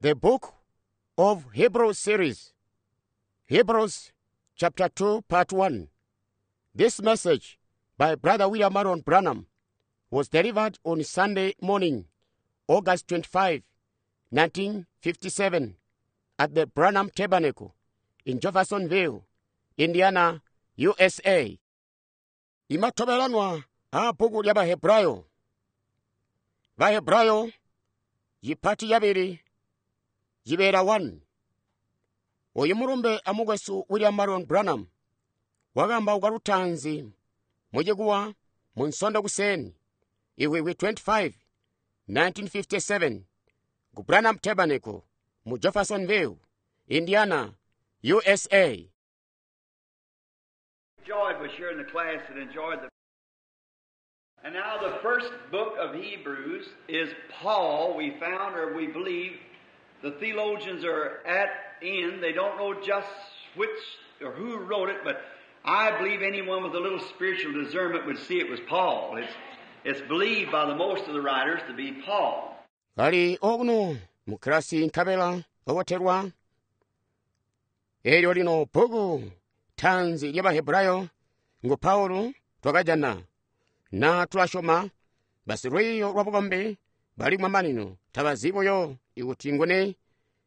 The Book of Hebrews series, Hebrews chapter 2, part 1. This message by Brother William Marion Branham was delivered on Sunday morning, August 25, 1957, at the Branham Tabernacle in Jeffersonville, Indiana, USA. Imatobelanwa a bhuku lya Bahebrayo. Bahebrayo yipati yabili yibeela 1. Oyu mulumbe amukwesu William Marion Branham wakambauka lutaanzi mucikuwa mu Nsondo kuseeni Iwikwi 25, 1957 ku Branham Tabernacle mu Jeffersonville, Indiana, USA. Enjoyed was here in the class and enjoyed the. And now the first book of Hebrews is Paul. We found, or we believe, the theologians are at end. They don't know just which or who wrote it, but I believe anyone with a little spiritual discernment would see it was Paul. It's believed by the most of the writers to be Paul. Kali okuno mu kilasi nkabela obotelwa eelyo lino bbuku taanzi lya Bahebrayo ngu Paulo twakajana na tulasyoma basilwiiyo lwa bukombi bali kumamanino tabazi buyo ikuti nguni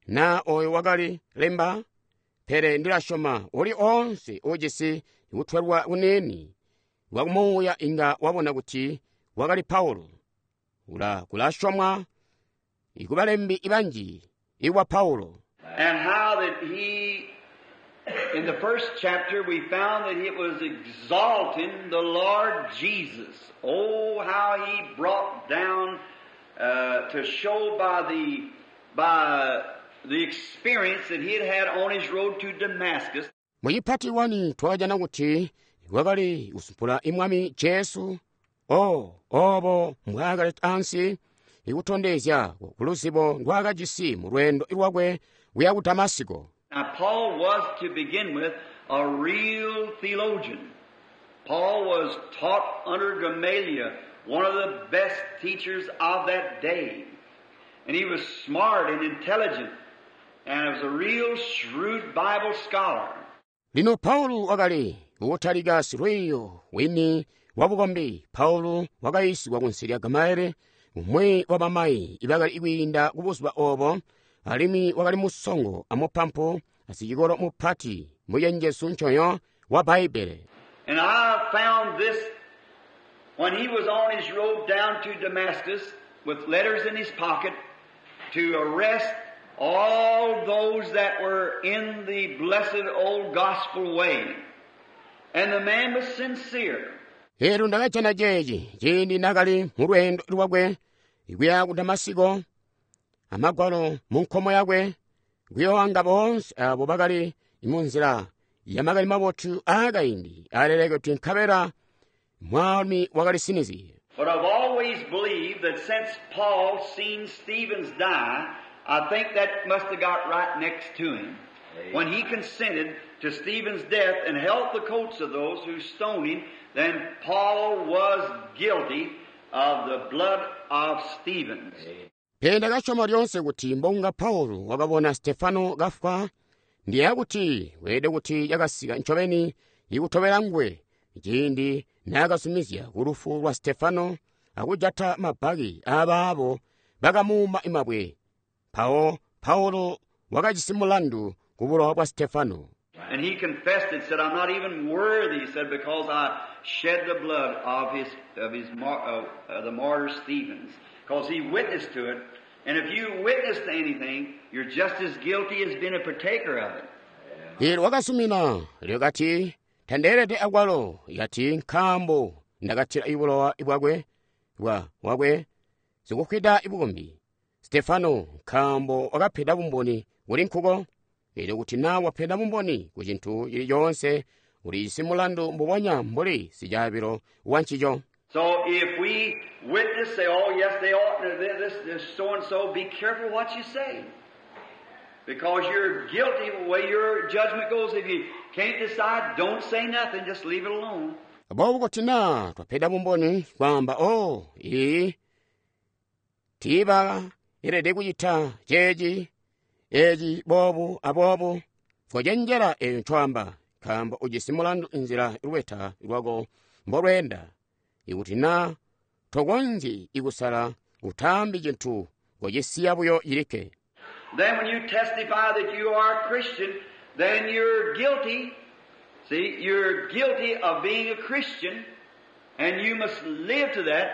na oyo wakali lemba pele ndilasyoma uli oonse uujisi kutwelwa kuniini kwa kumuuya inga wabona kuti wakali Paulo. Ula kulasyomwa ikubalembi banji ikwa Paulo. And how that he, in the first chapter, we found that it was exalting the Lord Jesus. Oh, how he brought down to show by the experience that he had had on his road to Damascus. Muchipati 1 twakajana kuti wakali kusumpula Mwami Jesu o obo mbwaakali ansi ikutondezya ku luzibo ndwaakajisi mu lweendo lwakwe kuya ku Damasiko. Now Paul was, to begin with, a real theologian. Paul was taught under Gamaliel, one of the best teachers of that day. And he was smart and intelligent, and was a real shrewd Bible scholar. Lino Paulo wakali kutalika silwiiyo wini wa bukombi. Paulo wakayiisigwa kunsi lya Gamalieli, umwi wa bamayi ibakali kwiinda kubuzuba obo, alimwi wakali musongo amupampu asicikolo mupati mucenjezu nconyo wa Bbaibele. And I found this when he was on his road down to Damascus with letters in his pocket to arrest all those that were in the blessed old gospel way. And the man was sincere. Elo ndakajana ceeci ciindi naakali mu lweendo lwakwe kuya ku Damasiko, amagwalo mu nkomo yakwe, kuyoanga boonse abo bakali mu nzila ya makani mabotu aakaindi aaleleketwe nkabela mwaalumi wakali sinizye. But I've always believed that since Paul seen Stevens die, I think that must have got right next to him. When he consented to Stephen's death and held the coats of those who stoned him, then Paul was guilty of the blood of Stevens. Pele ndakasyoma lyoonse kuti mbonga Paulo wakabona Stefano kafwa, ndiyeeya kuti weelede kuti cakasika ncobeni ikutobela nguwe ciindi naakazumizya kulufu lwa Stefano akujata mabbaki aabaabo bakamuuma mabwe. Mpawo Paulo wakajisi mulandu kubulowa bwa Stefano. And he confessed it, said, I'm not even worthy, he said, because I shed the blood of the martyr Stevens. Because he witnessed to it. And if you witness to anything, you're just as guilty as being a partaker of it. Elo wakasumina lyakati tandeelede akwalo yati nkaambo ndakatila ibulowa bwakwe bwa wakwe sikufwida ibukombi Stefano nkaambo wakapeda bumboni kuli nkuko. Elyo kuti naa wapeda bumboni ku cintu cili coonse ulijisi mulandu mbubonya mbuli sicaabilo wa ncico. So if we witness, say, oh yes, they ought to, this, this, so and so, be careful what you say. Because you're guilty the way your judgment goes. If you can't decide, don't say nothing, just leave it alone. Aboobo kuti naa twapeda bumboni kwaamba, oh, ii, tiiba elede kucita ceeci, Eci boobu aboobu, kocenjela eyo ncoamba, nkaambo ujisi mulandu nzila lubeta lwako mbolweenda. Ikuti na tokonzyi kusala, utaambi cintu, kocisiya buyo cilikke. Then when you testify that you are a Christian, then you're guilty. See, you're guilty of being a Christian, and you must live to that.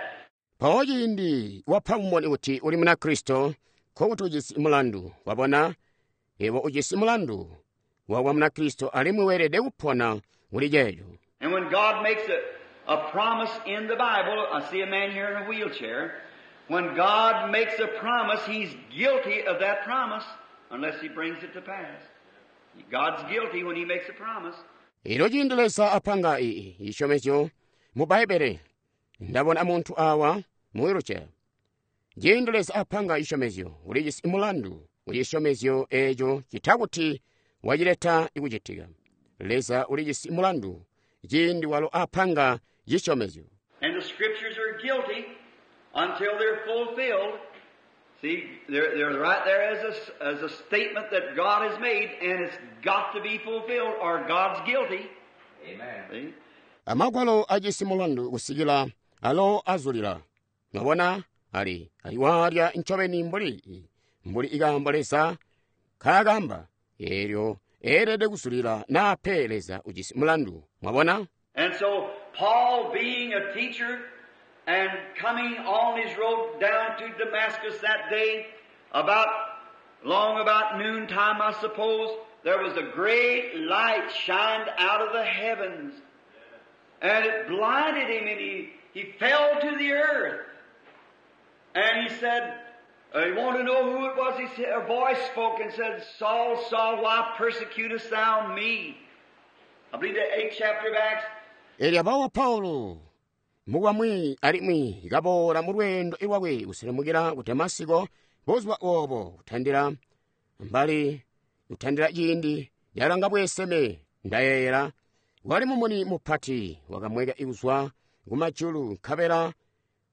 Mpawo ciindi wapa bumboni kuti uli Munakristo, nkokuti ujisi mulandu. Wabona, yebo ujisi mulandu wakuba Munakristo alimwi weelede kupona kuli ceeco. And when God makes a promise in the Bible, I see a man here in a wheelchair. When God makes a promise, He's guilty of that promise unless He brings it to pass. God's guilty when He makes a promise. Elyo ciindi Leza apanga cisyomezyo mu Bbaibbele, ndabona muntu awa mu wheelchair. Ciindi Leza apanga cisyomezyo, ulijisi mulandu ku cisyomezyo eeco ccita kuti wacileta kucitika. Leza ulijisi mulandu ciindi walo apanga cisyomezyo. And the Scriptures are guilty until they're fulfilled. See, they're right there as a statement that God has made, and it's got to be fulfilled or God's guilty. Amen. See? Amagwalo ajisi mulandu kusikila alo azulila. Mwabona, ali walya ncobeni mbuli ikaambo Leza kaakamba, eelyo eelede kuzulila naape Leza ujisi mulandu. Mwabona? And so Paul, being a teacher and coming on his road down to Damascus that day, long about noontime, I suppose, there was a great light shined out of the heavens. And it blinded him, and he fell to the earth. And he said, he wanted to know who it was. He said, a voice spoke and said, Saul, Saul, why persecutest thou me? I believe the 8th chapter of Acts. Elyo abawo Paulo mukwamwi alimwi kaboola mu lweendo lwakwe kuselemukila ku Damasiko buzuba obo kutandila mbali kutandila ciindi yalanga bweeseme ndayeeyela wali mumuni mupati wakamweka kuzwa kumajulu nkabela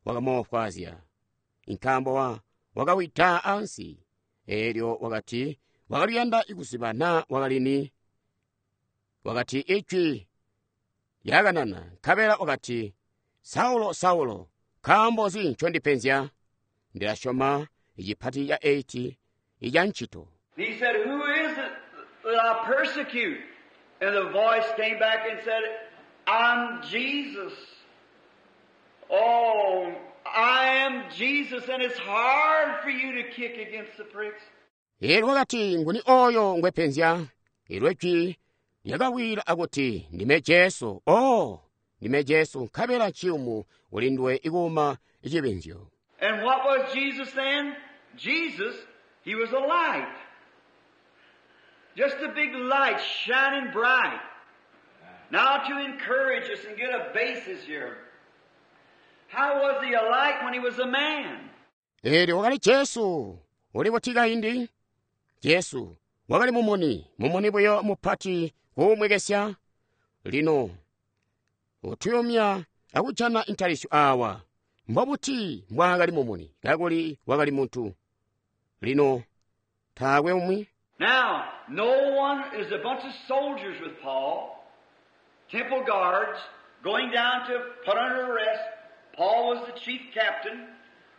wakamoofwaazya nkaambo wakawida ansi. Eelyo wakati wakaliyanda kuziba naa wakalini. Wakati ijwi lyakanana nkabela wakati, Saulo, Saulo, nkaambo nzi ncondipenzya? Ndilasyoma icipati ca 8 ica ncito. He said, Who is it that I persecute? And the voice came back and said, I'm Jesus. Oh, I am Jesus, and it's hard for you to kick against the pricks. Eelyo wakati, nguni oyo ngwepenzya? Eelyo ijwi lyakawila akuti, ndime Jesu. Oh, ndime Jesu, nkabela nciyumu kuli nduwe ikuuma cibinzyo. And what was Jesus then? Jesus, he was a light. Just a big light shining bright. Now to encourage us and get a basis here. How was he a light when he was a man? Eelyo wakali Jesu, uli buti kaindi? Jesu wakali mumuni, mumuni buyo mupati kuumwekesya. Lino utuyumya akujana intalisyo awa. Mbobuti mbwaakali mumuni kakuli wakali muntu. Lino taakwe umwi. Now, no one is a bunch of soldiers with Paul, temple guards, going down to put under arrest. Paul was the chief captain,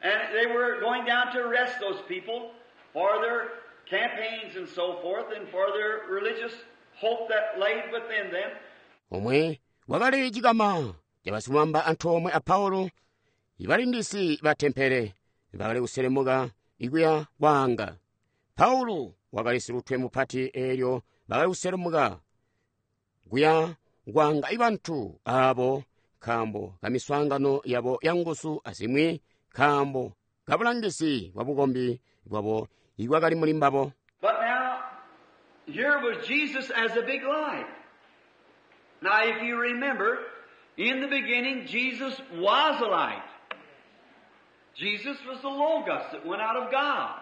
and they were going down to arrest those people for their campaigns and so forth, and for their religious hope that laid within them. Omwe wakali cikama cabasilumamba antoomwe a Paulo, ibalindisi ba tempele bakali kuselemuka ikuya kwaanga. Paulo wakali silutwe mupati eelyo bakali kuselemuka kuya kwaanga ibantu aabo nkaambo kamiswaangano yabo yanguzu azimwi nkaambo kabulangizi bwa bukombi bwabo ibwakali muli mbabo. But now, here was Jesus as a big light. Now, if you remember, in the beginning, Jesus was a light. Jesus was the Logos that went out of God.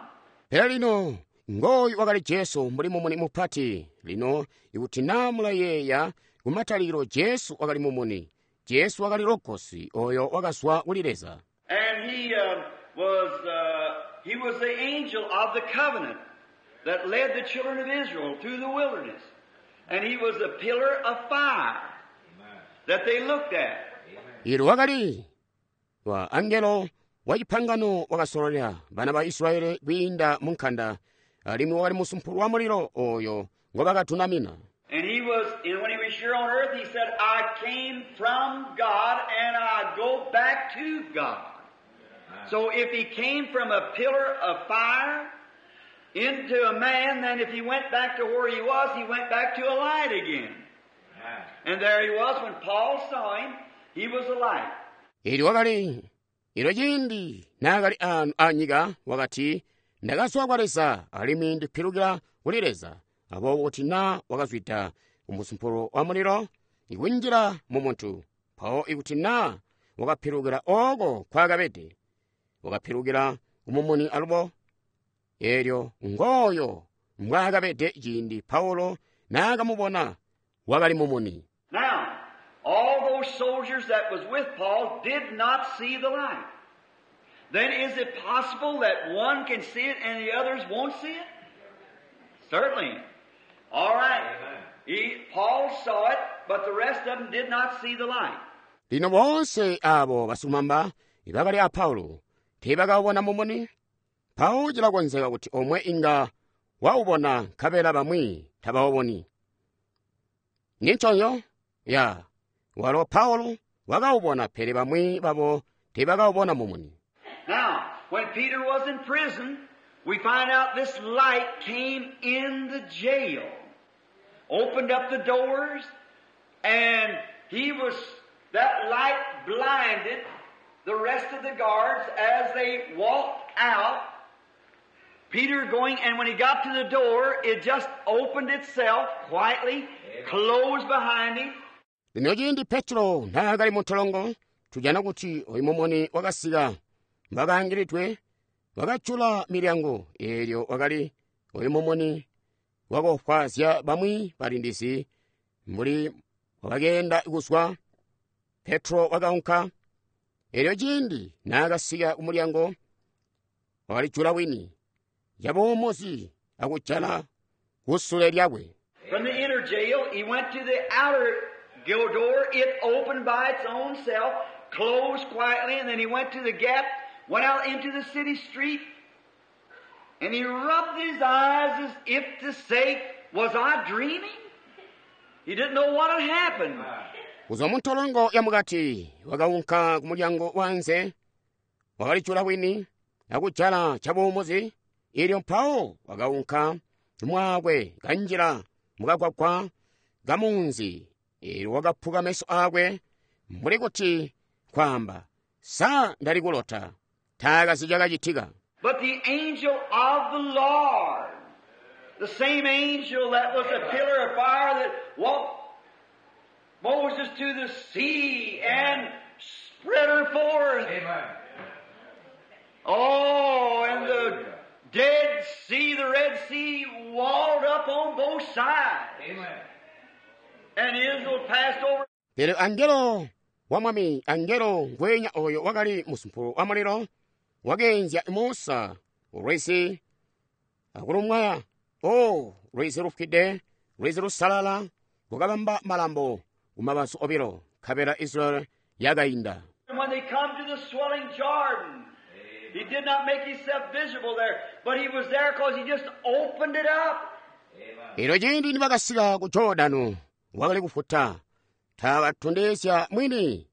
Pele lino, ngooyu wakali Jesu mbuli mumuni mupati. Lino, ikuti naa mulayeeya kumatalikilo Jesu wakali mumuni. Jesu wakali Logos oyo wakazwa kuli Leza. And he was the angel of the covenant. that led the children of Israel through the wilderness. And he was a pillar of fire that they looked at. Ilo wakali wa angelo wa cipangano wakasololela bana ba Israeli kwiinda mu nkanda, alimwi wakali musumpulu wa mulilo oyo ngobakatunamina. And he was, and when he was here on earth, he said, I came from God and I go back to God. So if he came from a pillar of fire into a man, then if he went back to where he was, he went back to a light again. And there he was when Paul saw him, he was a light. Ili wakali ilo ciindi naakali aano anyika wakati, ndakazwa kwa Leza alimwi ndipilukila kuli Leza. Aboobo kuti naa wakazwida ku musumpulu wa mulilo ikunjila mu muntu, mpawo ikuti naa wakapilukila ooko nkwaakabede, wakapilukila ku mumuni alubo, eelyo ngooyo mbwaakabede ciindi Paulo naakamubona wakali mumuni. Now, all those soldiers that was with Paul did not see the light. Then is it possible that one can see it and the others won't see it? Certainly. All right. Paul saw it, but the rest of them did not see the light. Lino boonse abo basilumamba ibakali a Paulo teebakawubona mumuni. Mpawo cilakonzeka kuti omwe inga waubona nkabela bamwi tabawuboni. Ninconyo? Ya, walo Paulo wakawubona pele bamwi babo teebakawubona mumuni. Now, when Peter was in prison, we find out this light came in the jail, opened up the doors, and that light blinded the rest of the guards as they walked out. Peter going, and when he got to the door, it just opened itself quietly, closed behind him. Lino ciindi Petro naakali mu ntolongo, tujana kuti oyu mumuni wakasika mbakaangilidwe, wakajula milyango, eelyo wakali oyu mumuni wakofwaazya bamwi balindizi mbuli wakeenda kuzwa. Petro wakaunka, eelyo ciindi naakasika ku mulyango, wakalijula wini cabuumuzi akujala kusule lyakwe. From the inner jail, he went to the outer door. It opened by its own self, closed quietly, and then he went to the gap, went out into the city street, and he rubbed his eyes as if to say, was I dreaming? He didn't know what had happened. Kuzwa mu ntolongo ya mukati, wakaunka ku mulyango wanze, wakalijula wini, akujala cabuumuzi, eelyo mpawo wakaunka mwakwe kanjila mukagwagwa kamunzi, eelyo wakaphuka meso akwe mbuli kuti kwaamba, sa ndali kulota, taakazi cakacitika. But the angel of the Lord, the same angel that was a pillar of fire that walked Moses to the sea and spread her forth. Amen. Oh, and the Dead Sea, the Red Sea, walled up on both sides. Amen. And Israel passed over. Pele angelo wa mwami, angelo ngwenya oyo wakali musumpulu wa mulilo, wakeenzya Musa ulwezi akulumwaya. Oh, lwezi lufwide, lwezi lusalala, lukabamba malambo kumabazu obilo, nkabela Israel yakainda. And when they come to the swelling Jordan, he did not make himself visible there, but he was there because he just opened it up. Elo ciindi nibakasika ku Jordano, wakali kufuta, taakatondezya mwini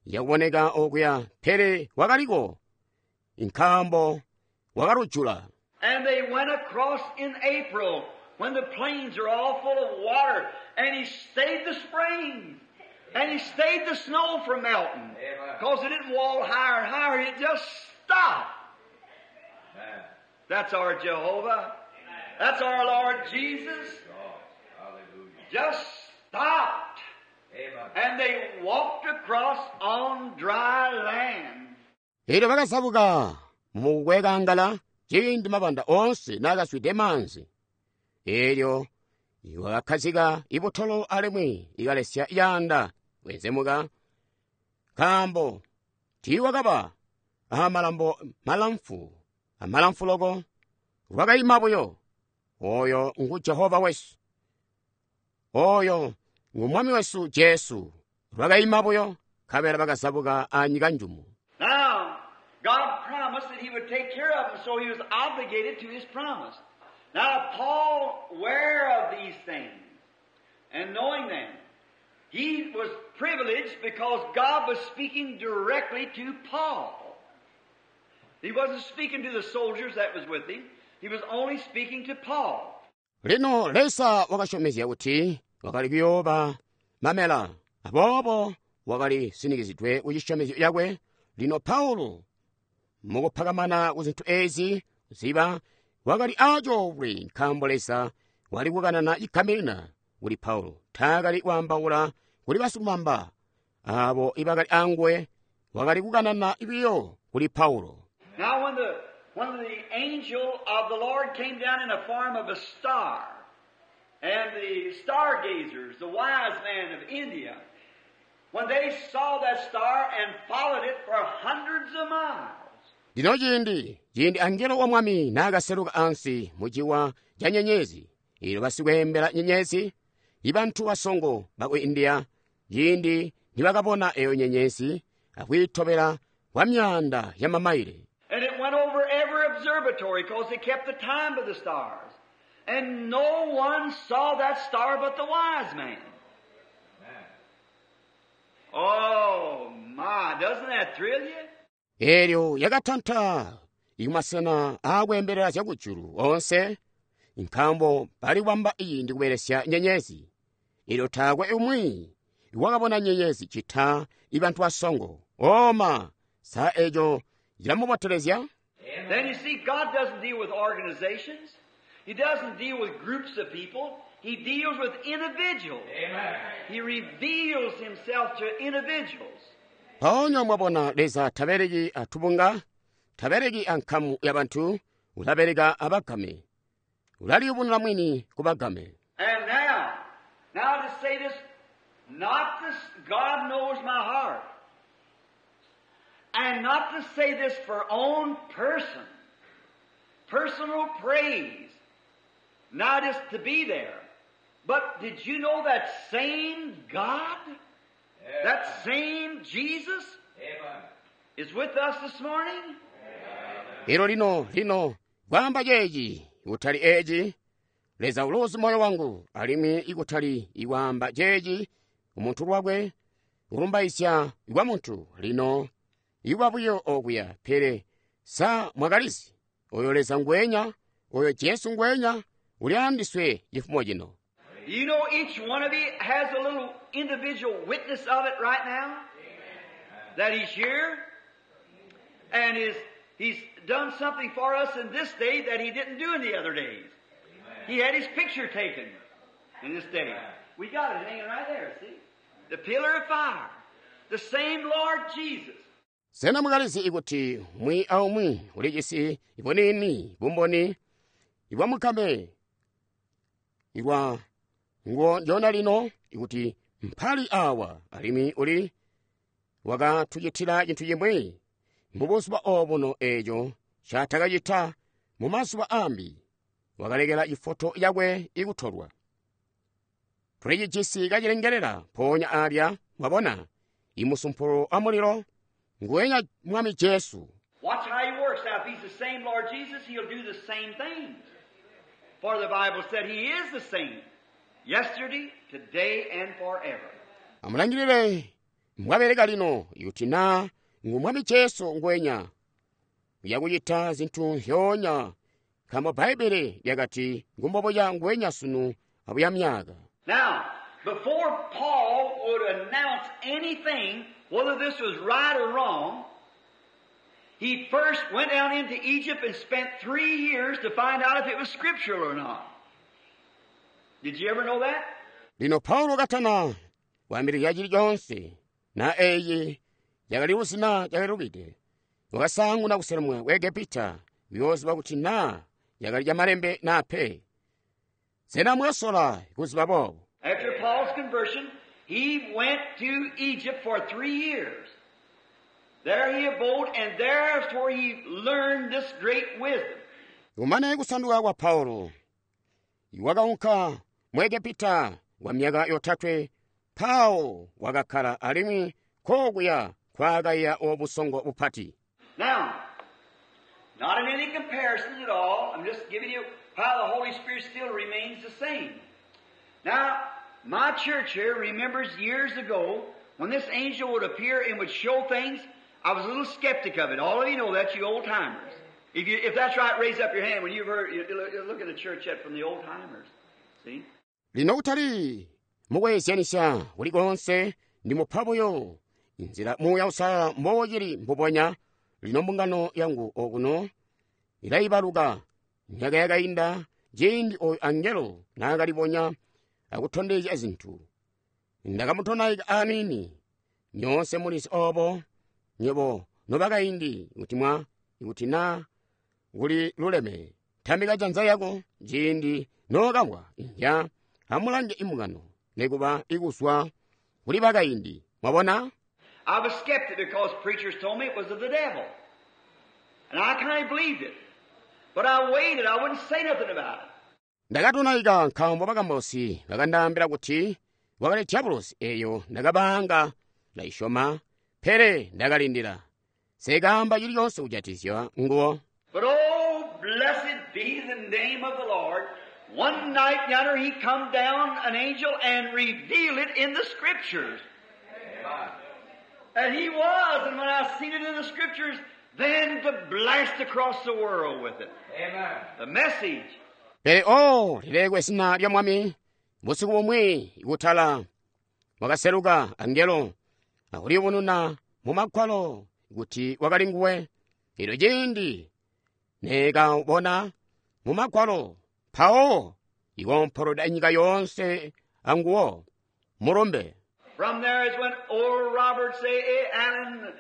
yakuboneka okuya, pele wakaliko, nkaambo wakalujula. And they went across in April when the plains are all full of water, and he stayed the spring, and he stayed the snow from melting. Because it didn't wall higher and higher, it just stopped. Amen. That's our Jehovah. That's our Lord Jesus. God. Hallelujah. Just stopped. Amen. And they walked across on dry land. Elyo bakazabuka mukukwekangala ciindi mabanda onse naakazwide maanzi. Elyo wakakhazika ibutolo alimwi ikalesya yaanda kwenzemuka, nkaambo tiiwakaba amalambo malamfu amalamfu loko, lwakaima buyo. Oyo ngu Jehova wesu. Oyo ngu Mwami wesu Jesu. Lwakaima buyo, nkabela bakazabuka a nyika njumu. Now, God promised that He would take care of them, so He was obligated to His promise. Now, Paul, aware of these things and knowing them, he was privileged because God was speaking directly to Paul. He wasn't speaking to the soldiers that was with him. He was only speaking to Paul. Lino Leza wakasyomezya kuti wakali kuyooba mamela, aboobo wakali sinikizidwe ku cisyomezyo cakwe. Lino Paulo mukupakamana ku zintu ezi ziba wakali acoolwe nkaambo Leza wali kukanana cigaminina kuli Paulo. Taakali kwaambaula kuli basilumamba abo ibakali anguwe, wakali kukanana biyo kuli Paulo. Now when the angel of the Lord came down in the form of a star, and the stargazers, the wise men of India, when they saw that star and followed it for hundreds of miles. Lino ciindi angelo wa Mwami naakaseluka ansi mu ciwa ca nyenyezi, eelyo basikweembela nyenyezi, ibantu basongo baku India, ciindi nibakabona eyo nyenyezi akwiitobela kwa myaanda ya mamaile. And it went over every observatory because they kept the time of the stars. And no one saw that star but the wise man. Oh my, doesn't that thrill you? Eelyo yakatanta ikumasena aakweembelela zyakujulu onse, nkaambo bali kubamba ciindi kubelesya nyenyezi. Eelyo taakwe umwi wakabona nyenyezi cita ibantu basongo. Oma, sa eco cilamubotelezya? Then you see, God doesn't deal with organizations. He doesn't deal with groups of people. He deals with individuals. Amen. He reveals himself to individuals. Mpoonya mwabona Leza tabeleki atubunga, tabeleki ankamu ya bantu, ulabeleka abagame. Ulaliyubununa mwini kubagame. And now to say this, not this, God knows my heart. And not to say this for own person, personal praise, not just to be there. But did you know that same God, that same Jesus Amen. is with us this morning? Elo lino, lino, kwaamba ceeci, ikutali eci, Leza uluzi moyo wangu, alimwi ikutali ikwaamba ceeci, umuntu lwakwe, kulumbaisya kwa muntu, lino, ikuba buyo okuya, pele sa mwakalizi, oyo Leza ngwenya, oyo Jesu ngwenya, uli andiswe cifumo cino. You know each one of you has a little individual witness of it right now? That He's here and He's done something for us in this day that He didn't do in the other days. He had His picture taken in this day. We got it hanging right there, see? The pillar of fire. The same Lord Jesus. Sena mwakalizi ikuti umwi aumwi ulijisi ibunini bumboni ibwamukame ibwa ngo njona lino ikuti mpali awa alimwi uli wakatucitila cintu cimwi mubuzuba obuno eco catakacita mu mazuba ambi, wakalekela ifoto yakwe ikutolwa. Tulicijisi kacilengelela mpoonya alya, mwabona, imusumpulo wa mulilo nguwenya Mwami Jesu. Watch how He works. Now, if He's the same Lord Jesus, He'll do the same things. For the Bible said He is the same yesterday, today, and forever. Amulangilile mbwabeleka lino ikuti na ngu Mwami Jesu ngwenya uyakucita zintu nzyoonya, nkaambo Bbaibele lyakati ngumbobuya ngwenya sunu abuya myaka. Now, before Paul would announce anything, whether this was right or wrong, he first went down into Egypt and spent 3 years to find out if it was scriptural or not. Did you ever know that? Lino Paulo katana kwaambilizya cili coonse, na eyi yakali na yakalubide, wakasaanguna kuselemwa ku Egepita kuyooziba kuti na yakali camalembe na pe. Sena mwakasola kuziba boobo? After Paul's conversion, he went to Egypt for 3 years. There he abode, and there's where he learned this great wisdom. Kumane kusanduka kwa Paulo, Wakaunka mu Egepita kwa myaka yotatwe, mpawo wakakkala alimwi kokuya kwaakaiya obusongo bupati. Now, not in any comparison at all. I'm just giving you how the Holy Spirit still remains the same. Now, my church here remembers years ago when this angel would appear and would show things. I was a little skeptic of it. All of you know that, you old timers. If that's right, raise up your hand when you've heard. You look at the church yet from the old timers. See? Lino kutali mukweezyanisya kulikonse ndi mupha buyo nzila Muuya Uusalala mbocili mbubonya. Lino mbungano yangu okuno ilayibaluka myaka yakainda ciindi oyu angelo naakalibonya akutondezya zintu. Ndakamutonaika aniini. Nyoonse mulizi obo nywebo nobakaindi kuti mwa kuti na kuli luleme tambika janza yako ciindi nookamwa inja amulange imbungano nekuba ikuzwa kuli bakaindi. Mwabona? I was skeptic because preachers told me it was of the devil. And I kind of believed it. But I waited. I wouldn't say nothing about it. Ndakatonaika nkaambo bakambosi bakandaambila kuti wakali diabolosi eyo ndakabaanga ndaisyoma, pele ndakalindila. Sekaamba chilichonse kujatikizya nguwo. But oh, blessed be the name of the Lord. One night yonder he come down, an angel, and revealed it in the Scriptures. Amen. And he was, and when I seen it in the Scriptures, then to blast across the world with it. Amen. The message. Pele oh, lilekwe zina lya Mwami, busiku bumwi kutala wakaseluka angelo akuliyubununa mu Magwalo kuti wakali nguwe. Elyo ciindi nekabona mu Magwalo, mpawo ikompoloda nyika yoonse anguwo mulumbe. From there is when Oral Roberts, A. Allen,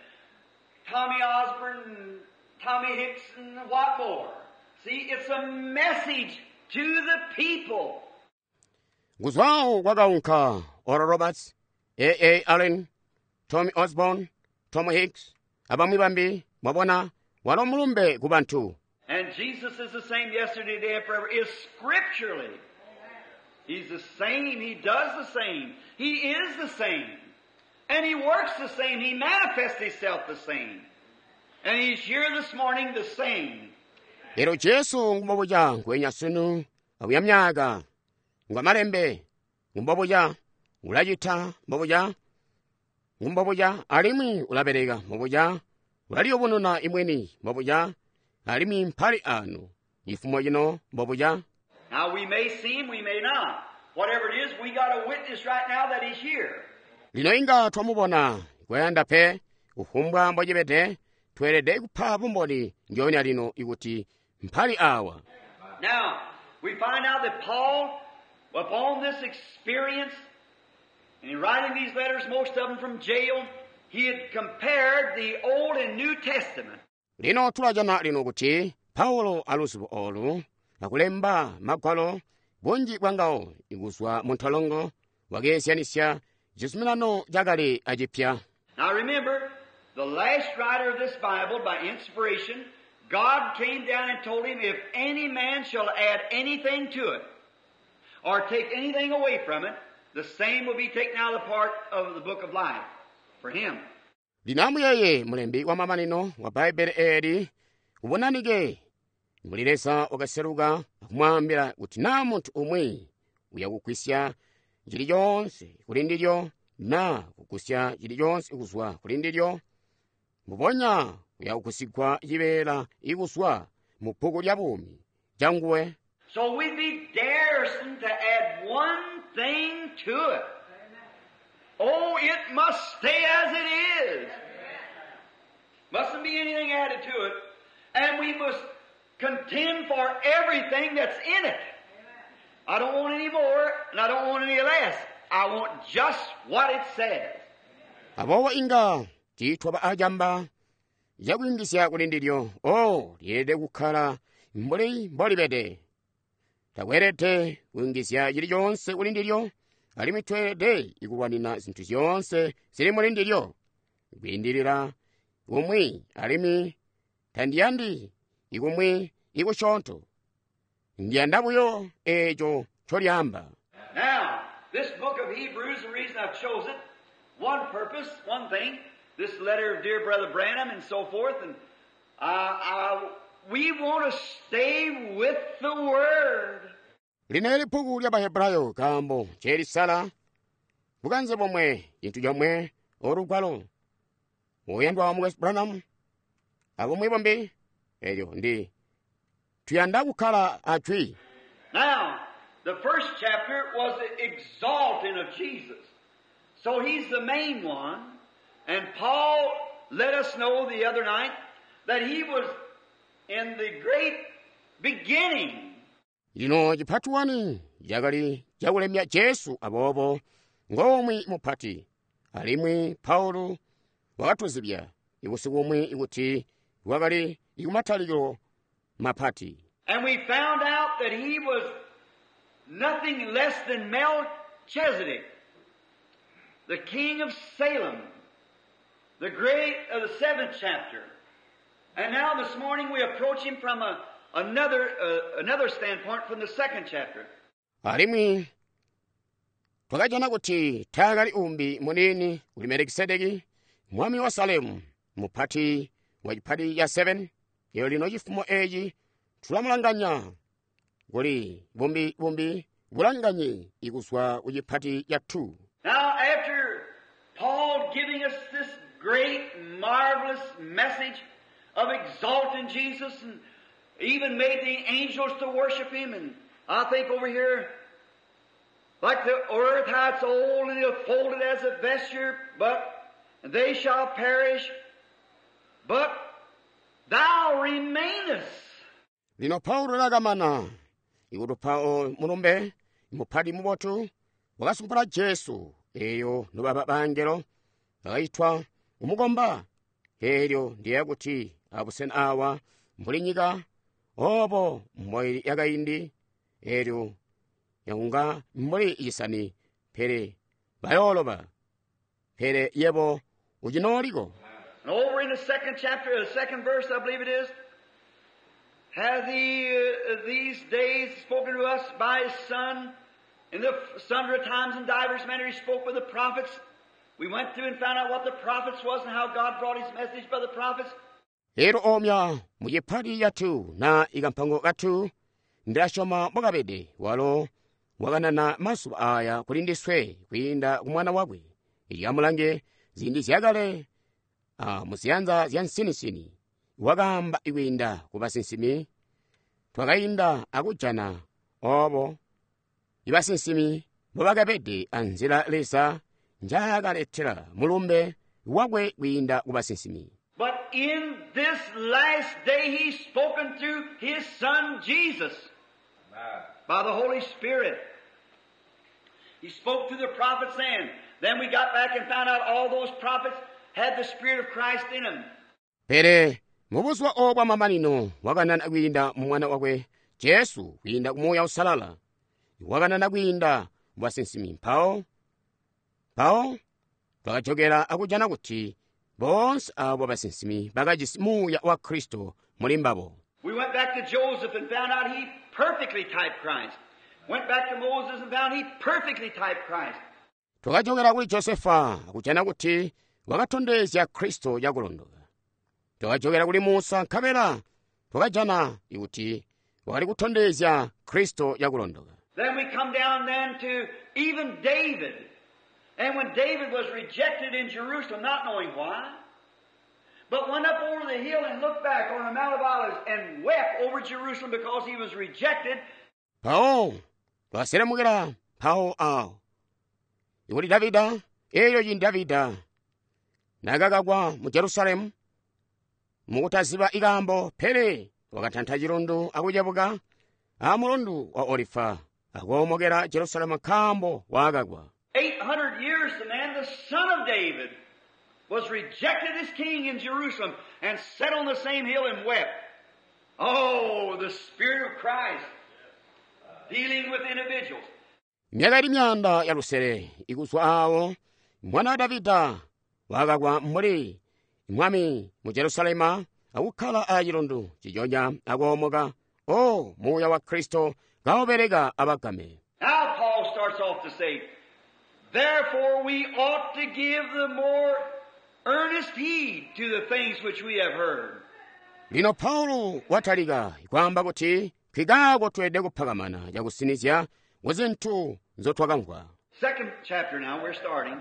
Tommy Osborne, Tommy Hicks, and what more. See, it's a message to the people. Kuzwawo kwakaunka Oral Roberts, A. Allen, Tommy Osborne, Tom Hicks, abamwi bambi, mwabona, walo mulumbe ku bantu. And Jesus is the same yesterday, today, and forever. Is scripturally. He's the same. He does the same. He is the same. And He works the same. He manifests Himself the same. And He's here this morning the same. Lero Jesu ngumbobuja nkwenya sunu abuya myaka ngwamalembe ngumbobuja ulacita mbobuja ngumbobuja alimwi ulabeleka mbobuja ulaliyubununa imweni mbobuja alimwi mpali anu ifumo ino mbobuja. Now we may see Him, we may not. Whatever it is, we got a witness right now that He's here. Lino inga twamubona kwayanda pe kufumbwa mbocibede tweelede kupa bumboni ndyoonya lino ikuti mpali awa. Now, we find out that Paul, upon this experience, and in writing these letters, most of them from jail, he had compared the Old and New Testament. Lino tulajana lino kuti Paulo aluzibo olu akulemba magwalo bunji bwangawo ikuzwa mu ntolongo wakeezyanisya chizuminano chakale achipya. Now remember, the last writer of this Bible, by inspiration, God came down and told him, if any man shall add anything to it, or take anything away from it, the same will be taken out of the part of the book of life for him. Lino amuyeye mulembi wa mamanino wa Baibulo eli ubonanike muli Leza wakaseluka akumwambira kuti na munthu umwe uyakugwisya chilichonse kuli ndilyo na kugusya chilichonse kuzwa kuli ndilyo mbubonya uyakugusigwa chibeela ikuzwa mu bbuku lya bumi changuwe. So we'd be daresome to add one thing to it. Oh, it must stay as it is. Mustn't be anything added to it. And we must contend for everything that's in it. I don't want any more, and I don't want any less. I want just what it says. Abowa inga tiitwa ba ajamba yakuyingisya kuli ndilyo. Oh, lyeelede kukhala mbuli mbolibede. Takweelede kuyingisya chilichonse kuli ndilyo, alimwi tweelede ikulwanina zinthu zonse zili muli ndilyo. Kuyindilira kumwi alimwi tandiyandi ikumwi ikusyoonto. Ndiyanda buyo eco ncolyaamba. Now, this book of Hebrews, the reason I've chose it, one purpose, one thing, this letter of dear Brother Branham and so forth, and we want to stay with the Word. Lino eli bbuku lya Bahebrayo nkaambo ncelisala bukanze bomwe, cintu comwe, olugwalo. Uyandwa wa Mukwesu Branham, abumwi bumbi, elyo ndi tuyanda kukkala a Jwi. Now, the first chapter was the exalting of Jesus. So he's the main one. And Paul let us know the other night that he was in the great beginning. Lino chipati 1 chakali chakulemya Jesu aboobo ngomwi mupati. Alimwi Paulo wakatuzibya ibusiku bumwi kuti wakali ikumatalikilo mapati. And we found out that he was nothing less than Melchizedek, the king of Salem, the great of the 7th chapter. And now this morning we approach him from another standpoint from the 2nd chapter. Alimwi twakajana kuti taakali umbi munini kuli Melikisedeki, mwami wa Salemu, mupati wa chipati ya 7. Lero lino chifumo echi tulamulanganya kuli bumbi bumbi bulanganye ikuzwa ku chipati ya 2. Now after Paul giving us this great marvelous message of exalting Jesus and even made the angels to worship him, and I think over here, like the earth, how it's old and it'll fold it as a vesture, but they shall perish, but thou remainest. Lino Paulo lakamana ikutupa mulumbe mupati mubotu wakasumpula Jesu eyo nobaba bangelo bakayitwa kumukomba. Elyo ndiye kuti abusena awa mbuli nyika obo mboili yakaindi elyo yakunga mbuli isani pele bayoloba pele yebo uchinoliko. And over in the 2nd chapter, the 2nd verse, I believe it is, hath he these days spoken to us by his Son, in the sundry times and divers manner he spoke with the prophets. We went through and found out what the prophets was and how God brought his message by the prophets. Lero omya muchipati yathu na ikampango kathu ndashoma mwakapede walo wakanana masuba aya kuli ndiswe kuyinda kumwana wakwe. Ilyamulange zindi zyakale muziyanza zya nsinisini wakamba ikuyinda ku basinsimi. Twakayinda akujana obo ibasinsimi mbobakapede anzila Leza njaakaletela mulumbe wakwe kuyinda ku basinsimi. But in this last day he's spoken through his Son Jesus by the Holy Spirit. He spoke through the prophets then. Then we got back and found out all those prophets had the Spirit of Christ in them. Pele mubuzuba obwa mamanino wakanana kwiinda mu mwana wakwe Jesu kwiinda ku Muuya Usalala. Wakanana kwiinda mu basinsimi. Mpawo twakajokera akujana kuti bonse abo basinsimi bakajisi Muuya wa Kristo muli mbabo. We went back to Joseph and found out he perfectly typed Christ. Went back to Moses and found he perfectly typed Christ. Twakajokera kuli Josefa akujana kuti wakatondezya Kristo yakulondoka. Twakajokera kuli Musa nkabela twakajana kuti wakali kutondezya Kristo yakulondoka. Then we come down then to even David. And when David was rejected in Jerusalem, not knowing why, but went up over the hill and looked back on the Mount of Olives and wept over Jerusalem because he was rejected. Pao, twaselemukira pao awo. Ikuti Davida, eyo yini Davida, nakakakwa mu Jerusalemu, mukutaziba ikambo pele wakatantha chilundu akuchepuka a mulundu wa Olifa, akuomokera Jerusalemu nkambo wakakwa. 800 years the man, the son of David, was rejected as king in Jerusalem and sat on the same hill and wept. Oh, the Spirit of Christ dealing with individuals. Myaka ili myanda ya lusele ikuzwa awo mwana wa Davida wakakwa mbuli mwami mu Jerusalema akukhala a chilundu chichonya akuomoka. O Muuya wa Kristo kaubeleka abagame. Now Paul starts off to say, therefore we ought to give the more earnest heed to the things which we have heard. Lino Paulo watalika kwaamba kuti nkikaako tweelede kuphakamana cakusinizya ku zintu nzotwakamvwa. Second chapter now, we're starting.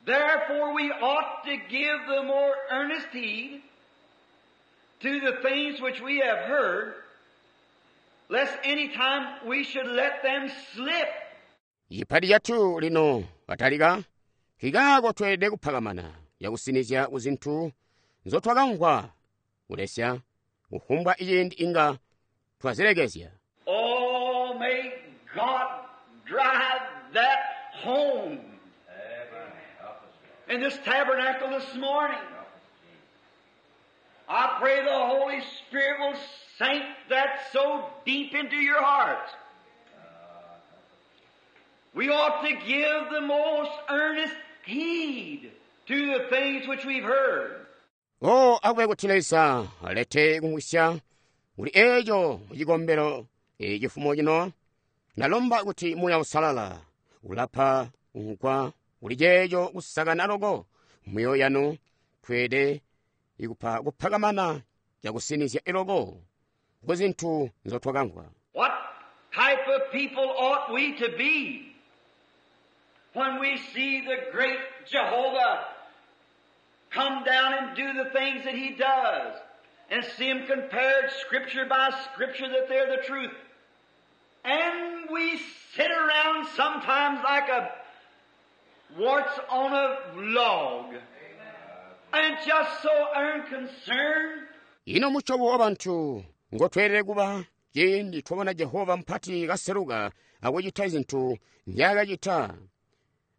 Therefore we ought to give the more earnest heed to the things which we have heard, lest any time we should let them slip. Chipati chathu lino watalika, nkikaako tweelede kuphakamana cakusinizya ku zintu nzotwakamvwa, kulesya kufumbwa ciindi inga twazilekezya. Oh, may God drive that home. Amen. Help us, Lord. In this tabernacle this morning, Help us, Jesus. I pray the Holy Spirit will sink that so deep into your hearts. We ought to give the most earnest heed to the things which we've heard. O akube kuti Leza alete kumwisya kuli eco mucikombelo cifumo cino, ndalomba kuti Muuya Uusalala ulapa kumvwa kuli ceeco kusakana loko myoyo yanu, tweelede ikupa kuphakamana cakusinizya iloko ku zintu nzotwakamvwa. What type of people ought we to be when we see the great Jehovah come down and do the things that He does, and see Him compared scripture by scripture that they're the truth? And we sit around sometimes like a warts on a log and just so unconcerned. Ino musyobo wa bantu ngotweelede kuba ciindi twabona Jehova mpati kaseluka akucita zintu nzyaakacita,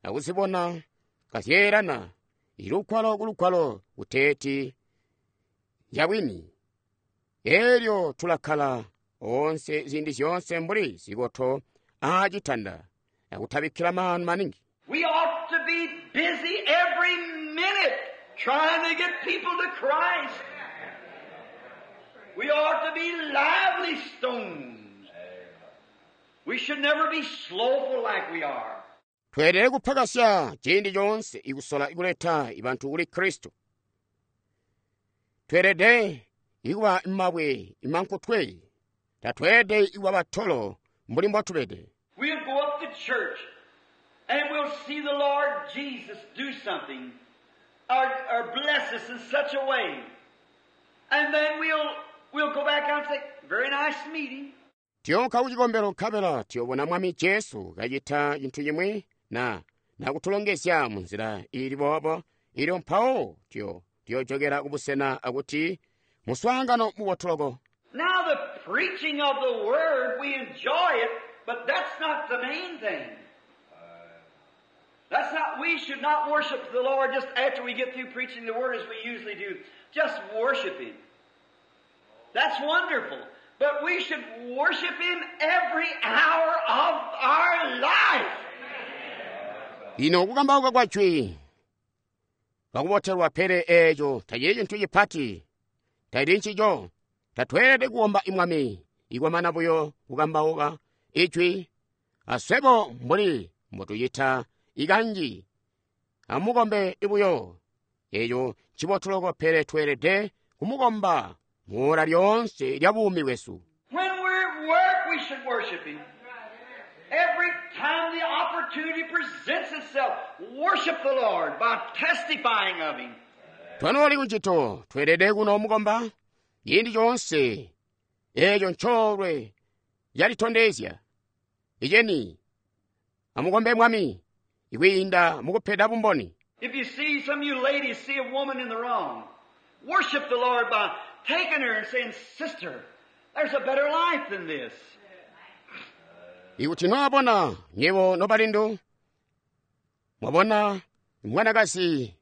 akuzibona kazyeelana ilugwalo kulugwalo kuteeti nzyabwini. Elyo tulakkala onse ziindi zyoonse mbuli zikoto aacitanda akutabikkila maanu maningi. We ought to be busy every minute trying to get people to Christ. We ought to be lively stones. We should never be slowful like we are. Tweelede kuphakasya ciindi coonse ikusola ikuleta ibantu kuli Kristo. Tweelede ikuba mabwe imankutwe. Tatweelede ikuba batolo mbuli mbotubede. We'll go up to church and we'll see the Lord Jesus do something or bless us in such a way. And then we'll go back out and say, very nice meeting. Tiyonka kucikombelo nkabela tiyobona Mwami Jesu kacita cintu cimwi na nakutulongezya munzila ili boobo, ilyo mpawo tiyojokera kubusena akuti muswaangano mubotu loko. Now the preaching of the Word, we enjoy it, but that's not the main thing. That's not, we should not worship the Lord just after we get through preaching the Word as we usually do. Just worship Him. That's wonderful. But we should worship Him every hour of our life. Ino kukambauka kwa jwi kakubotelwa pele eeco tacili cintu cipati, tacili ncico. Tatweelede kuomba imwami ikwamana buyo kukambauka ijwi, aswebo mbuli mbotucita ikanji amukombe ibuyo. Eeco ncibotu loko, pele tweelede kumukomba muola lyoonse lya buumi bwesu. When we're at work, we should worship Him. Every time the opportunity presents itself, worship the Lord by testifying of Him. Twanooli kuncito tweelede kuno mukomba ciindi coonse eeco ncoolwe yalitondezya. Iceni amukombe Mwami ikwiinda mukupeda bumboni. If you see some of you ladies see a woman in the wrong, worship the Lord by taking her and saying, Sister, there's a better life than this. Ikuti nwabona nywebo nobalindu, mwabona mwanakazi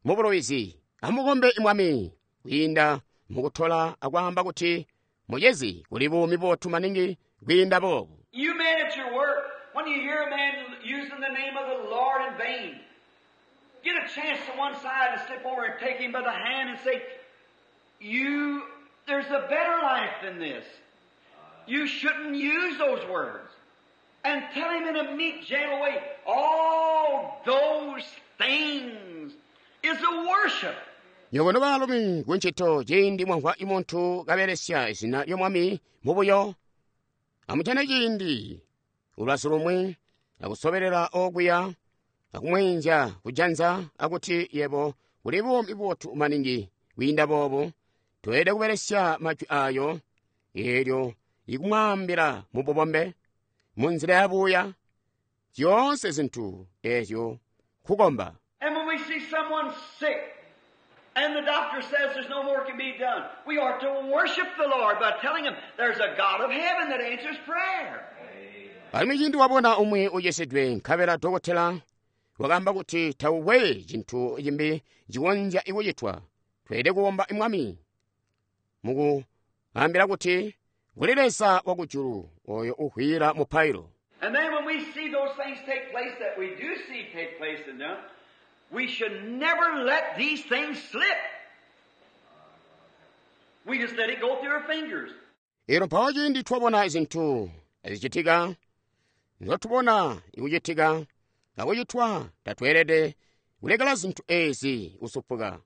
mubulowizi, amukombe Mwami kwiinda mukutola akwaamba kuti mucezi kuli buumi bubotu maningi kwiinda boobu. You men at your work, when you hear a man using the name of the Lord in vain, get a chance to one side and slip over and take him by the hand and say, there's a better life than this. You shouldn't use those words. And tell him in a meek, gentle way, all those things is a worship. Nywebo nobaalumi kuncito ciindi mwamvwa muntu kabelesya izina ly'Omwami mubuyo, amujane ciindi ulubazu lumwi akusobelela okuya akumweenzya kujanza akuti yebo kuli buumi bubotu maningi kwiinda boobo, toyelede kubelesya majwi ayo eelyo ikumwaambila mububombe munzila yabuuya zyoonse zintu eezyo kukomba. And when we see someone sick, and the doctor says there's no more can be done, we ought to worship the Lord by telling him there's a God of heaven that answers prayer. Alimwi ciindi wabona umwi ucisidwe nkabela dokotela wakaamba kuti taukwe cintu cimbi cikonzya kucitwa, tweelede kukomba Mwami mukuambila kuti kuli Leza wakujulu oyo uhwila mupailo. And then when we see those things take place that we do see take place in them, we should never let these things slip. We just let it go through our fingers. Elo mpawo ciindi twabona zintu zicitika, nzotubona ikucitika, akucitwa tatweelede kulekela zintu ezi kusupuka.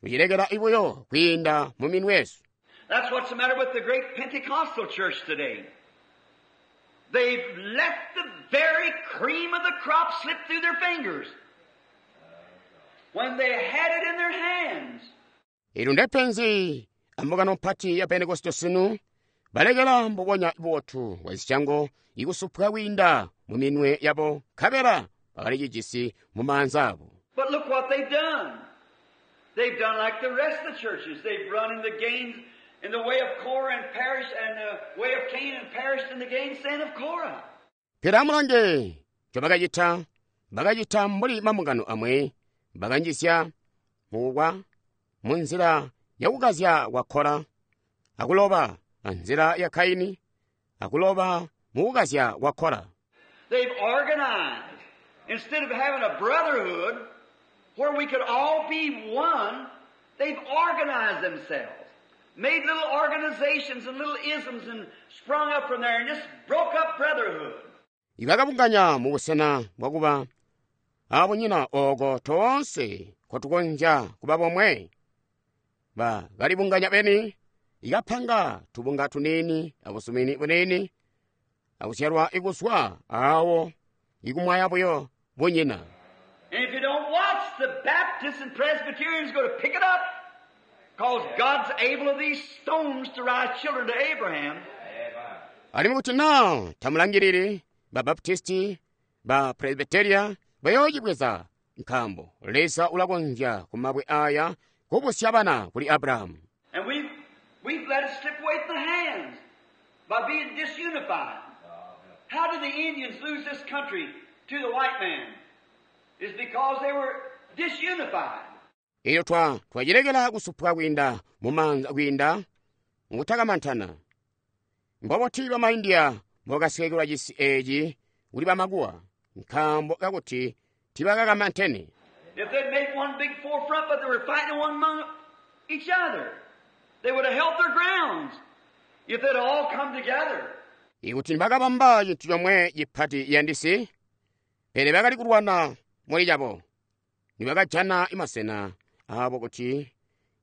Tucilekela ibuyo kwiinda mu minwe yesu. That's what's the matter with the great Pentecostal church today. They've let the very cream of the crop slip through their fingers when they had it in their hands. Ilo ndepenzi ambungano mpati ya Pentekoste sunu balekela mbubonya bubotu bwa zisyango ikusupuka kwiinda mu minwe yabo nkabela bakali cijisi mu maanza abo. But look what they've done. They've done like the rest of the churches. They've run in the gains in the way of Korah and perished, and the way of Cain and perished in the gainsaying of Korah. Pele amulange ncobakacita, bakacita mbuli mambungano amwi, bakanjizya mukukwa munzila yakukazya kwa Kora, akuloba anzila ya Kaini, akuloba mukukazya kwa Kora. They've organized. Instead of having a brotherhood where we could all be one, they've organized themselves. Made little organizations and little isms and sprung up from there and just broke up brotherhood. Ibakabunganya mubusena bwakuba abunyina oko toonse kotukonzya kuba bomwe. Bakalibunganya beni, ikapanga tubunga tuniini abusumini buniini, akuzyalwa ikuzwa awo ikumwaya buyo bunyina. And if you don't watch, the Baptists and Presbyterians go to pick it up, because God's able of these stones to rise children to Abraham. Alimwi kuti naa tamulangilili ba Baptisti, ba Presbyteria bayoocibweza nkaambo Leza ulakonzya kumabwe aya kubusya bana kuli Abrahamu. And we've let it slip away from the hands by being disunified. How did the Indians lose this country to the white man? It's because they were disunified. Elyo twacilekela kusupwa kwiinda mumaanza kwiinda mukutakamantana. Mbobuti bama India mbobakasweekelwa cisi eeci kuli bamakuwa nkaambo kakuti tibakakamantene. If they'd made one big forefront, but they were fighting one among each other, they would have held their grounds if they'd all come together. Ikuti nibakabamba cintu comwe cipati yandisi, pele bakali kulwana muli cabo, nibakajana masena abo kuti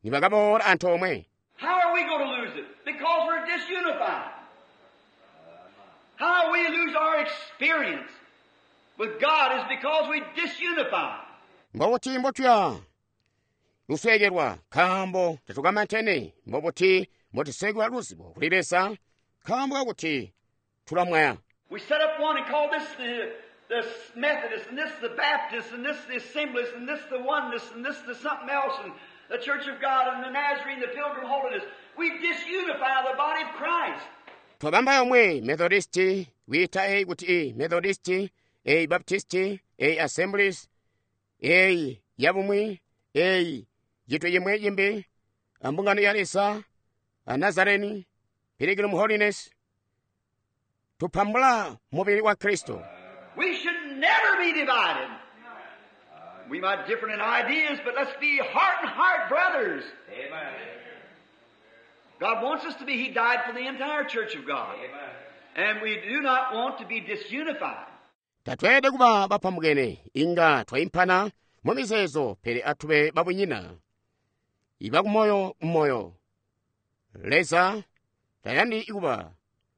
nibakaboola antoomwe. How are we going to lose it? Because we're disunified. How we lose our experience with God is because we disunify. Mbobuti mbotuya lusweekelwa nkaambo tatukamantene, mbobuti mbotusweekelwa luzibo kuli Leza nkaambo kakuti tulamwaya. We set up one and call this the Methodist, and this the Baptist, and this the Assemblies, and this the Oneness, and this the something else, and the Church of God, and the Nazarene, the Pilgrim Holiness. We disunify the body of Christ. Twabamba yomwe Methodisti, wiita eyi kuti i Methodisti, eyi Baptisti, eyi Assemblies, eyi yabumwi, eyi cinthu chimwe chimbi, ambungano ya Leza, a Nazareni, Pilgrim Holiness. Tupambula mubili wa Kristo. We should never be divided. We might differ in ideas, but let's be heart and heart brothers. Amen. God wants us to be. He died for the entire church of God. And we do not want to be disunified. Tatweelede kuba bapambukene inga twaimpana mu mizeezo pele atube babunyina ibakumoyo mmoyo. Leza tayandi kuba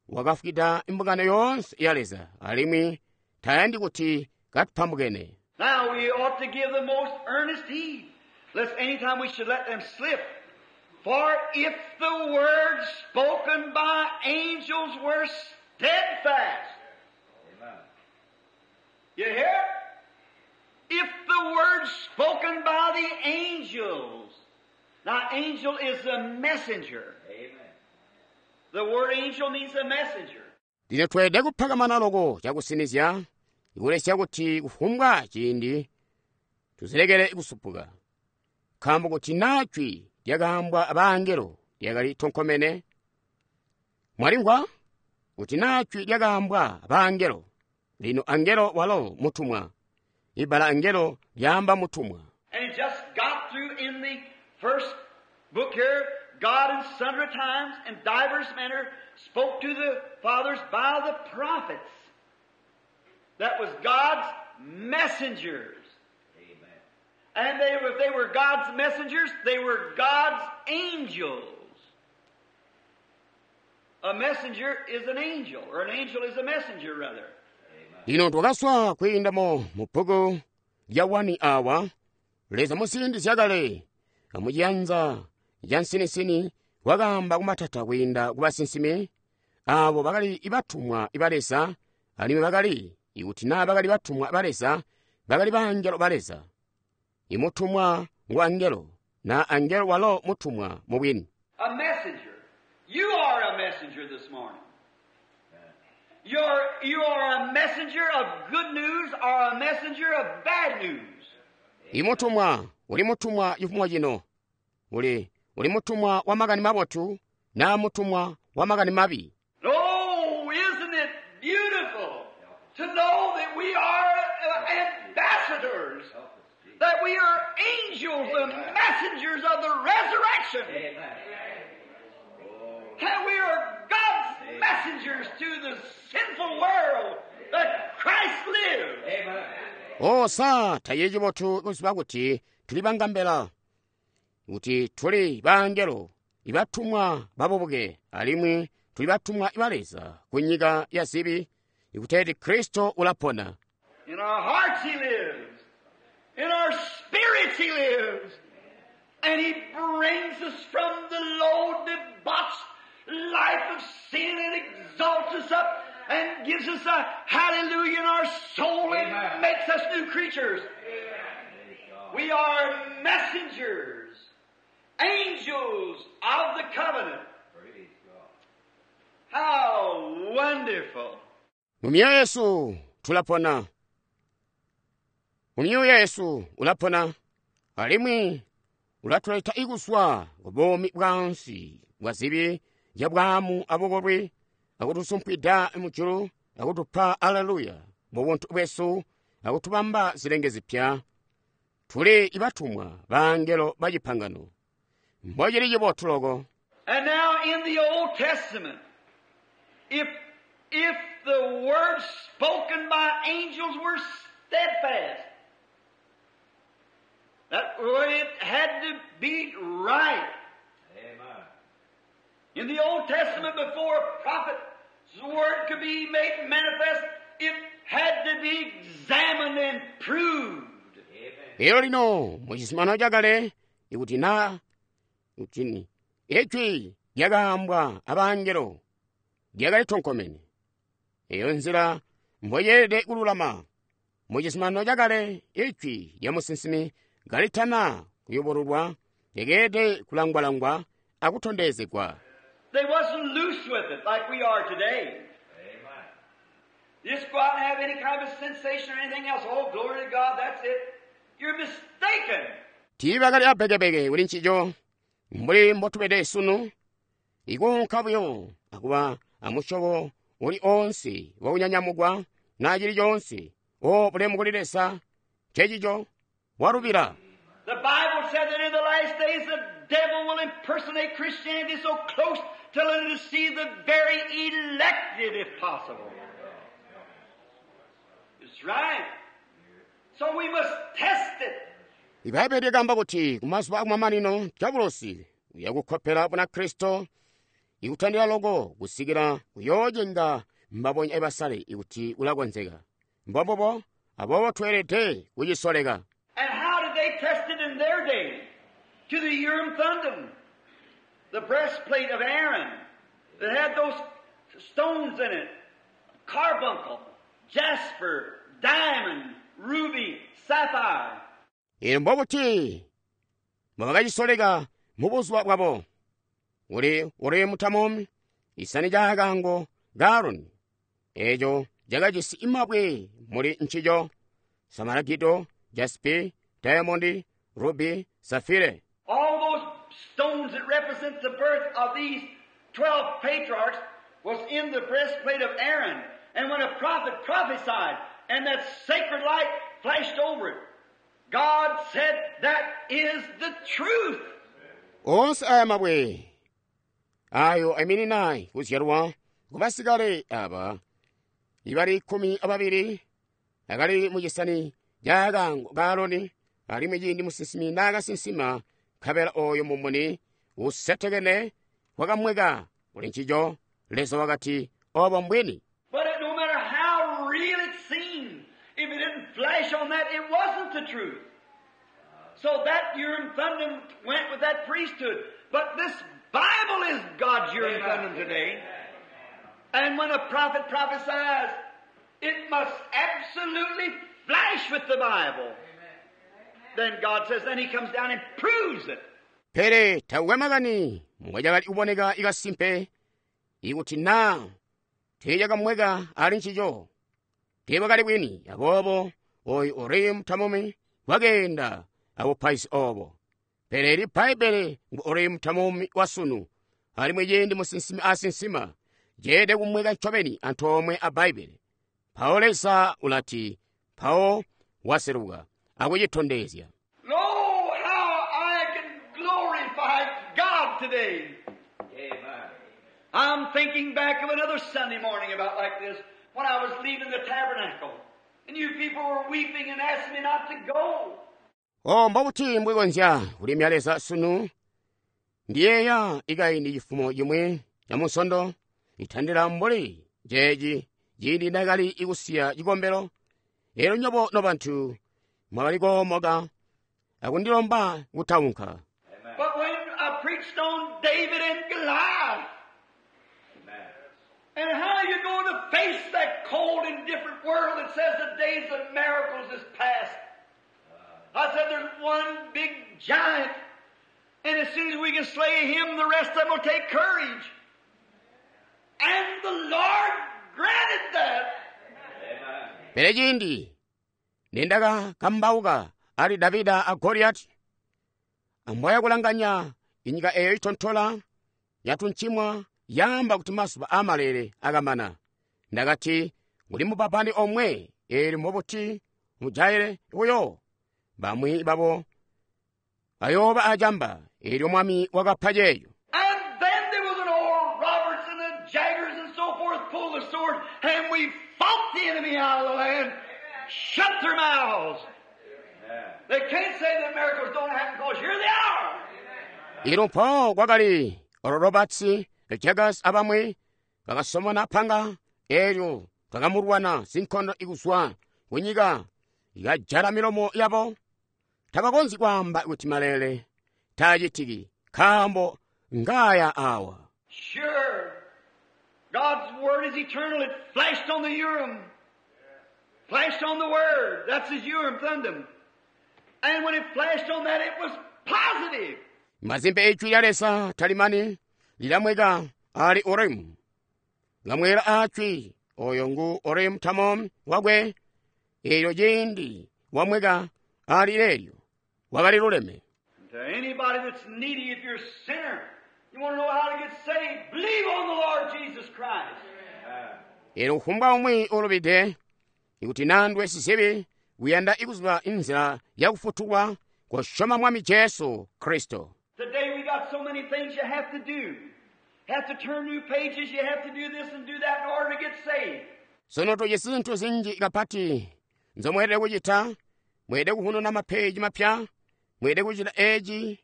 wakafwida imbungano yoonse ya Leza alimwi tayandi kuti katupambukene. Now we ought to give the most earnest heed, lest any time we should let them slip. For if the words spoken by angels were steadfast, you hear? If the words spoken by the angels, now angel is a messenger. Amen. The word angel means a messenger. Lino tweelede kuphakamana loko cakusinizya ikulesya kuti kufumbwa ciindi tuzilekele kusupuka. Nkaambo kuti naa jwi lyakaambwa abangelo lyakali tonkomene, mwalimvwa? Kuti naa jwi lyakaambwa abangelo, lino angelo walo mutumwa. Ibbala angelo lyaamba mutumwa. And he just got through in the first book here, God in sundry times and divers manner spoke to the fathers by the prophets. That was God's messengers. Amen. And they, if they were God's messengers, they were God's angels. A messenger is an angel, or an angel is a messenger, rather. Lino twakaswa kwiindamo mu bbuku lya 1 awa, Leza muziindi zyakale amuciyanza ca nsinisini wakaamba kumatata kwiinda ku basinsimi aabo bakali batumwa ba Leza alimwi bakali ikuti naa bakali batumwa ba Leza bakali bangelo ba Leza. Imutumwa ngu angelo naa angelo walo mutumwa mubwini. A messenger. You are a messenger this morning. You are a messenger of good news or a messenger of bad news. Imutumwa uli mutumwa cifumo cino uli uli mutumwa wa makani mabotu naa mutumwa wa makani mabi. Oh, isn't it beautiful to know that we are ambassadors, that we are angels and messengers of the resurrection, Amen. that we are God's messengers to the sinful world, that Christ lives. Amen. O sa taye cibotu kuziba kuti tuli bangambela kuti tuli bangelo ibatumwa babubuke alimwi tuli batumwa ba Leza ku nyika ya zibi ikuteeti Kristo ulapona. In our hearts He lives. In our spirits He lives. And He brings us from the low, debauched life of sin and exalts us up and gives us a hallelujah in our soul and Amen. makes us new creatures. We are messengers, angels of the covenant. Praise God. How wonderful. Mu myoyo yesu tulapona. Mu myoyo yesu ulapona alimwi ulatuleta ikuswa ku buumi bwansi bwa zibi zya bwaamu abukolwi akutusumpwida mujulu akutupa aleluya mu buntu bwesu akutubamba zilenge zipya. Tuli ibatumwa bangelo ba cipangano. Mbocili cibotu loko. And now in the Old Testament, if the words spoken by angels were steadfast, that way it had to be right. Amen. In the Old Testament, before a prophet's word could be made manifest, it had to be examined and proved. Amen. Lero lino mu chisimano chakale ikuti na kuti ijwi lyakaambwa abangelo lyakali tonkomene. Eyo nzila mboyeelede kululama. Mu chisimano chakale ijwi lya musinsimi kalitana kuyobololwa lyakeelede kulangwalangwa akutondezegwa. They wasn't loose with it like we are today. Amen. You just go out and have any kind of a sensation or anything else. Oh, glory to God, that's it. You're mistaken. Tiibakali abekebeke kuli ncico mbuli mbotubede sunu ikuunka buyo akuba amusyobo uli onse wakunyanyamukwa naa cili coonse o bulemu kuli Leza ncecico walubila. The Bible said that in the last days the devil will impersonate Christianity so close till it'll deceive the very elected if possible. It's right. So we must test it. Ibhayibheli lyakamba kuti kumazuba akumamanino diabolosi uyakukhopera bunakristo ikutandira loko kusikira kuyoocenga mbabonya ibasale ikuti ulakonzeka. Mbombubo aboobo tweelede kucisoleka. And how did they test it in their day? To the Urim Thummim, the breastplate of Aaron that had those stones in it, carbuncle, jasper, diamond, ruby, sapphire. Ino mbobuti mbobakacisoleka mu buzuba bwabo uli Urimu Tamumi isani ca kaango ka Aroni eeco cakajisi mabwe muli ncico samaragido, jaspi, diamond, ruby, safire. All those stones that represent the birth of these 12 patriarchs was in the breastplate of Aaron. And when a prophet prophesied and that sacred light flashed over it, God said that is the truth. Onse aya mabwe ayo aiminina kuzyalwa kubasikale aba ibali 12 akali mucisani ca kaango ka Aroni alimwi ciindi musinsimi naakasinsima nkabela oyo mumuni usetekene wakamweka kuli ncico Leza wakati obo mbwini. But it, no matter how real it seemed, if it didn't flash on that, it wasn't the truth. So that Urim Thummim went with that priesthood. But this Bible is God's Urim Thummim today. And when a prophet prophesies, it must absolutely flash with the Bible. Then God says, then He comes down and proves it. Pele takukwe makani mbwacakali kuboneka ikasimpe ikuti naa tiicakamweka ali ncico tiibwakali bwini. Aboobo oyu Urimu Tamumi wakeenda abupaizi obo. Pele ili Bbaibele ngu Urimu Tamumi wasunu alimwi ciindi musinsimi asinsima ceelede kumweka ncobeni antoomwe a Bbaibele. Mpawo Leza ulati mpawo waseluka akucitondezya. Lo, how I can glorify God today. Amen. I'm thinking back of another Sunday morning about like this when I was leaving the tabernacle. And you people were weeping and asking me not to go. O mbobuti mbwikonzya kulimya Leza sunu ndiyeeya ikaindi cifumo cimwi ca Munsondo itandila mbuli ceeci ciindi ndakali ikusiya cikombelo. Elyo nyobo nobantu mwakali koomoka akundilomba kutaunka. But when I preached on David and Goliath, Amen. and how you going to face that cold and different world that says the days of miracles is past? I said there's one big giant, and as soon as we can slay him, the rest of them will take courage. And the Lord granted that. Amen. Pele ciindi nindakakambauka ali Davida a Goliati, ambwaya kulanganya inyika eyo itontola yatuncimwa yaamba kuti mazuba amalele akamana. Ndakati kuli mupapani omwe eelyo mbobuti mujaile buyo bamwi babo ayooba acamba eelyo mwami wakapa ceeyo. And then there was an Oral Roberts and the Jaggers and so forth pulled the sword, and we fought the enemy out of the land, shut their mouths. Amen. They can't say that miracles don't happen because here they are. Ilo mpo kwakali Oral Roberts, Jaggers abamwi bakasomona panga eelyo twakamulwana sinkondo ikuzwa kunyika ikajala milomo yabo. Tabakonzyi kwaamba kuti malele taacitiki nkaambo ngaya awa. Sure. God's Word is eternal. It flashed on the Urim. Flashed on the Word. That's his Urim Thummim. And when it flashed on that, it was positive. Mazimbe ijwi lya Leza talimani lilamweka ali Urimu. Lamwera acwi oyo ngu Urimu Tamum wakwe eelyo ciindi wamweka ali leelyo wakali luleme. And to anybody that's needy, if you're a sinner, you want to know how to get saved, believe on the Lord Jesus Christ. Amen. Eelyo kufumbwa umwi ulubide ikuti nandwe sizibi kuyanda ikuziba inzila yakufutulwa kosyoma Mwami Jesu Kristo. Today we got so many things you have to do. Have to turn new pages, you have to do this and do that in order to get saved. Sono tujisi zintu zinji kapati nzomweelede kucita. Mweelede kuhununa mapeji mapya, mweelede kucita eci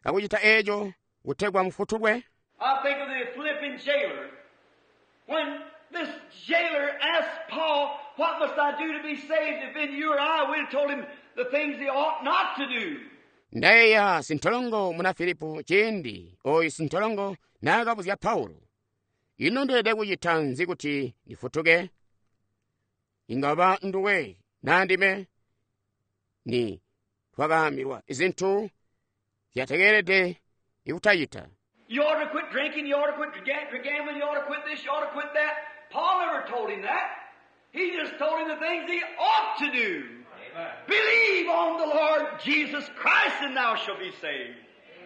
akucita eco kutegwa mufutulwe. I think of the Philippian jailer. When this jailer asked Paul, what must I do to be saved? If in you or I, we'd have told him the things he ought not to do. Ndayeeya sintolongo muna Filipo ciindi oyu sintolongo naakabuzya Paulo, ino ndeelede kucita nzi kuti ndifutuke? Inga waba nduwe naa ndime ni twakaambilwa zintu zyatekeelede ikutacita. You ought to quit drinking, you ought to quit gambling, you ought to quit this, you ought to quit that. Paul never told him that. He just told him the things he ought to do. Amen. Believe on the Lord Jesus Christ and thou shalt be saved.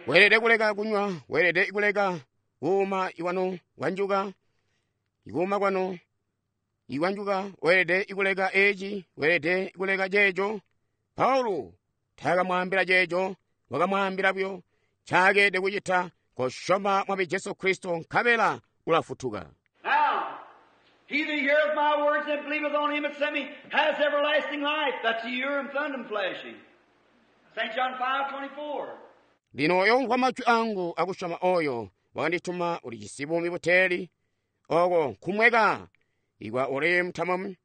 Weelede kuleka kunywa, weelede kuleka kuuma iwanu wanjuka, ikuuma kwanu iwanjuka, weelede kuleka eci, weelede kuleka ceeco. Paulo taakamwaambila ceeco, wakamwaambila buyo ncaakede kucita, kosyoma Mwami Jesu Kristo nkabela ulafutuka. Now, he that heareth my words and believeth on him that sent me has everlasting life. That's the Urim Thummim flashing. St. John 5:24. Lino oyo umvwa majwi angu akusyoma oyo wakandituma ulijisi buumi buteeli, oko nkumweka ikwa Urim Thummim,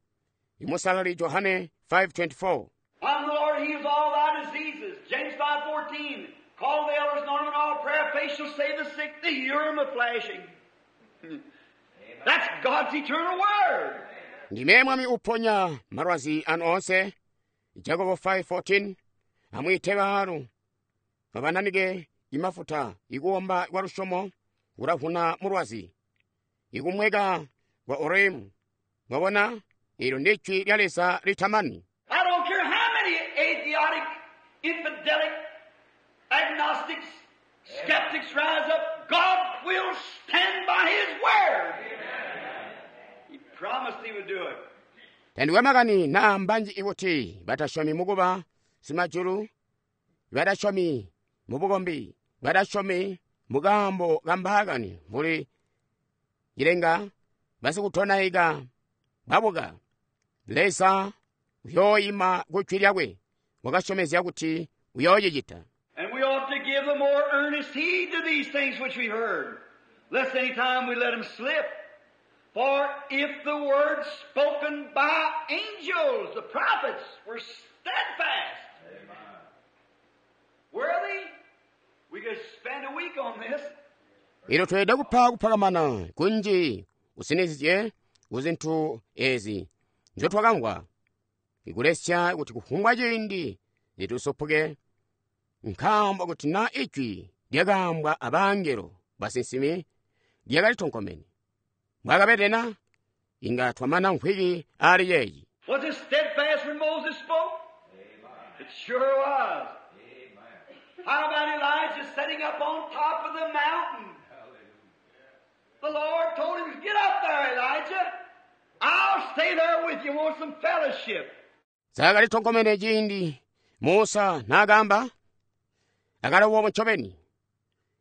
imusalali Johane 5:24. I'm the Lord heals all thy diseases. James 5:14. Call the elders and ornament all prayer. Faith shall save the sick. The Urim of flashing. That's God's eternal word. Ndime Mwami uponya malwazi anu onse. Jakobo 5:14. Amwiite baalu babananike imafuta ikuomba kwa lusyomo kulavuna mulwazi ikumweka kwa Urimu. Mwabona, ilo ndi jwi lya Leza litamani. I don't care how many atheistic, infidelic, agnostics, skeptics rise up, God will stand by His word. He promised He would do it. Tandikwe makani naa mbanji ikuti batasyomi mukuba simajulu, batasyomi mubukombi, batasyomi mukaambo kambaakani mbuli cilenga, basikutonaika babuka. Leza uyooima ku jwi lyakwe, wakasyomezya kuti uyoocicita. And we ought to give the more earnest heed to these things which we heard, lest any time we let them slip. For if the words spoken by angels, the prophets, were steadfast, worthy, we could spend a week on this. Ilo tweelede kupa kupakamana kunji usinizye kuzintu ezi nzyotwakamvwa, ikulesya kuti kufumbwa ciindi zitusupuke, nkaambo kuti na ijwi lyakaambwa abangelo basinsimi lyakali tonkomene. Mbwakabede na, inga twamana mvwiki aali yeeyi. Was it steadfast when Moses spoke? It sure was. How about Elijah setting up on top of the mountain? The Lord told him, get up there, Elijah. I'll stay there with you. Want some fellowship. Zakali tonkomene ciindi Musa naakamba, akalowo ncobeni.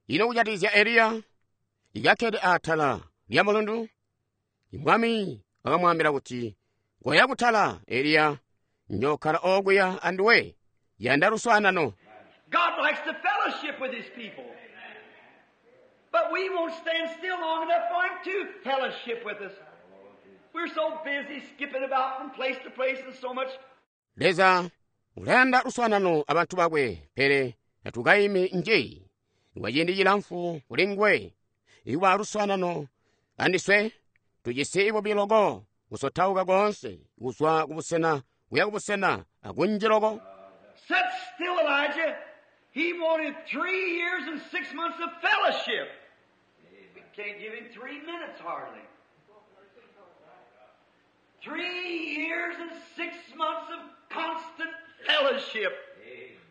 Ino kujatikizya Eliya, ikakkede atala lya mulundu, Mwami wakamwaambila kuti, koya kutala, Eliya, njokkala okuya anduwe, yanda luswaanano. God likes to fellowship with His people. But we won't stand still long enough for Him to fellowship with us. We're so busy skipping about from place to place and so much. Leza ulayanda luswaanano abantu bakwe, pele tatukaimi nji kwa ciindi cilamfu kuli nguwe. Ikuba luswaanano andiswe tujisi bubi loko kusotauka koonse kuzwa kubusena kuya kubusena akunji loko. Sit still, Elijah. He wanted 3 years and 6 months of fellowship. We can't give him 3 minutes hardly. 3 years and 6 months of constant fellowship.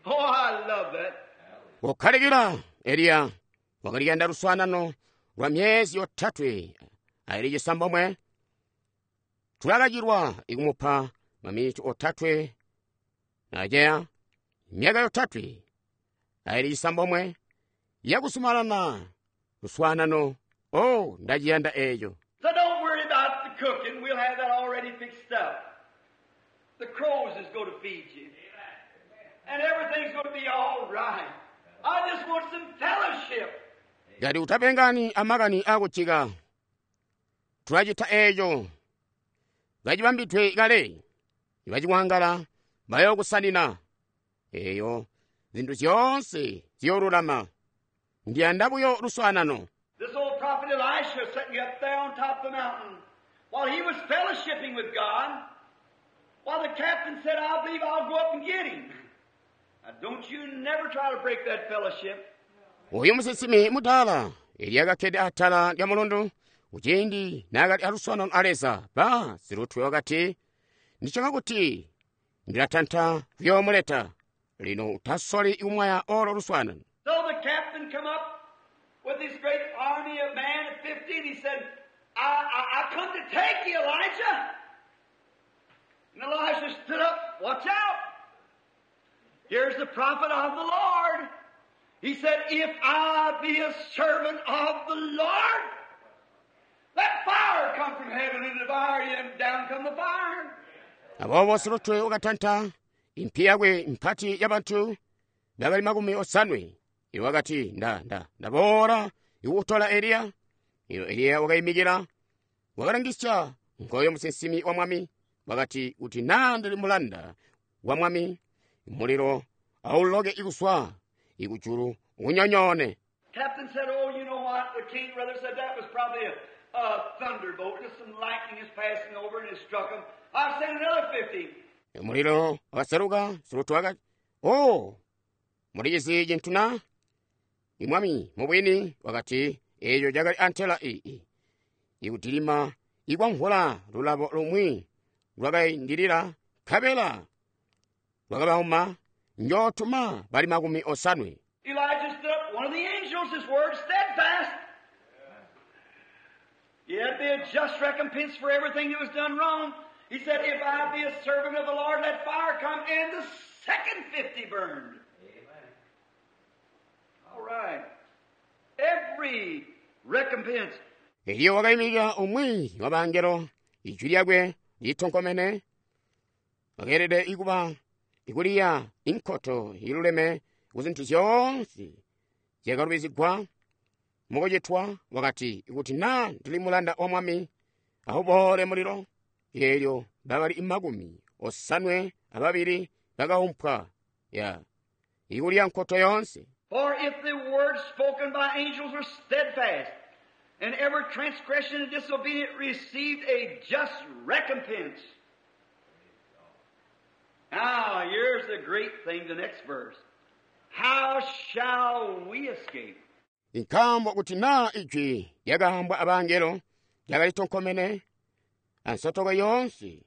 Oh, I love that. Kukhalikila Eliya wakaliyanda luswaanano lwa myezi yotatwe aili cisambomwe. Tulakachilwa ikumupa maminiti otatwe naceya myaka yotatwe aili cisambomwe Yakuzumanana luswaanano. Oh, ndaciyanda eeco. So don't worry about the cooking. We'll have that already fixed up. The crows is going to feed you. And everything's going to be all right. I just want some fellowship. Ngati utapengani amakani akujika, tulacita eeco. Kacibambidwe kale, baciwangala bayokusanina. Eyo zinthu zyoonse ziyolulama. Ndiyanda buyo luswaanano. This old prophet Elisha sitting up there on top of the mountain while he was fellowshipping with God, while the captain said, I believe I'll go up and get him. Now, don't you never try to break that fellowship. Uyu musinsimi mudala Eliya kakkede atala lya mulundu kuciindi naakali aluswaanano a Leza ba silutwe wakati, Ndisyoma kuti ndilatanta kuyoomuleta. Lino utasoli kumwaya olo luswaanano. So the captain come up with his great army of men of 50, and he said, I come to take you, Elijah. And Elijah stood up, watch out. Here's the prophet of the Lord. He said, if I be a servant of the Lord, let fire come from heaven and devour you, and down come the fire. Aboobo silutwe wakatanta impi yakwe mpati ya bantu bakali 80. Iwo wakati, nda, nda, ndaboola ikukutola Eliya. Ilo Eliya wakayimikira, wakalangisya ngoyo musinsimi wa mwami, wakati, kuti naa ndili mulanda wa mwami, mulilo auloke ikuswa ikujulu unyonyoone. Captain said, oh, you know what? The king rather said that was probably a thunderbolt. Just some lightning is passing over and it struck him. I'll send another 50. Mulilo wakaseluka, silutwe wakati, oh, mulichizi cinthu na? Imwami mubwini wakati, eyo cakali antela iyi. Ikutilima ikwamvula lulabo lumwi lwakayindilira nkabela lwakabauma njootuma bali 80. Elijah stood up, one of the angels, his word steadfast. It'd be a just recompense for everything that was done wrong. He said, if I be a servant of the Lord, let fire come, and the second 50 burned. Amen. All right. Every recompense. Eliya wakayimirira umwi wa bangelo, ijwi lyakwe litonkomene, wakeelede ikuba ikuliya inkoto iluleme ku zinthu zyoonse zyakalubizigwa mukucitwa, wakati, ikuti naa ndili mulanda wa mwami, awuboole mulilo. Eelyo bakali 82 bakaumpwa ya ikuliya nkoto yoonse. For if the words spoken by angels were steadfast, and every transgression and disobedience received a just recompense. Now, here's the great thing, the next verse. How shall we escape? Nkaambo kuti naa ijwi lyakaambwa abangelo lyakali tonkomene, ansotoko yoonse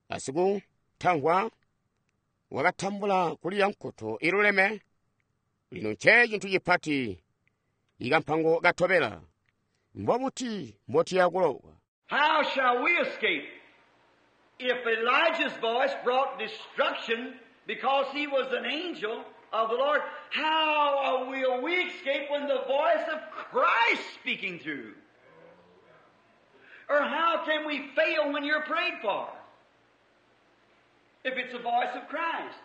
asikutamvwa wakatambula kuliya nkoto iluleme. Lino nce cintu cipati ikampango katobela. Mbobuti mbotiya kulowa? How shall we escape? If Elijah's voice brought destruction because he was an angel of the Lord, how will we escape when the voice of Christ speaking through? Or how can we fail when you're prayed for? If it's the voice of Christ.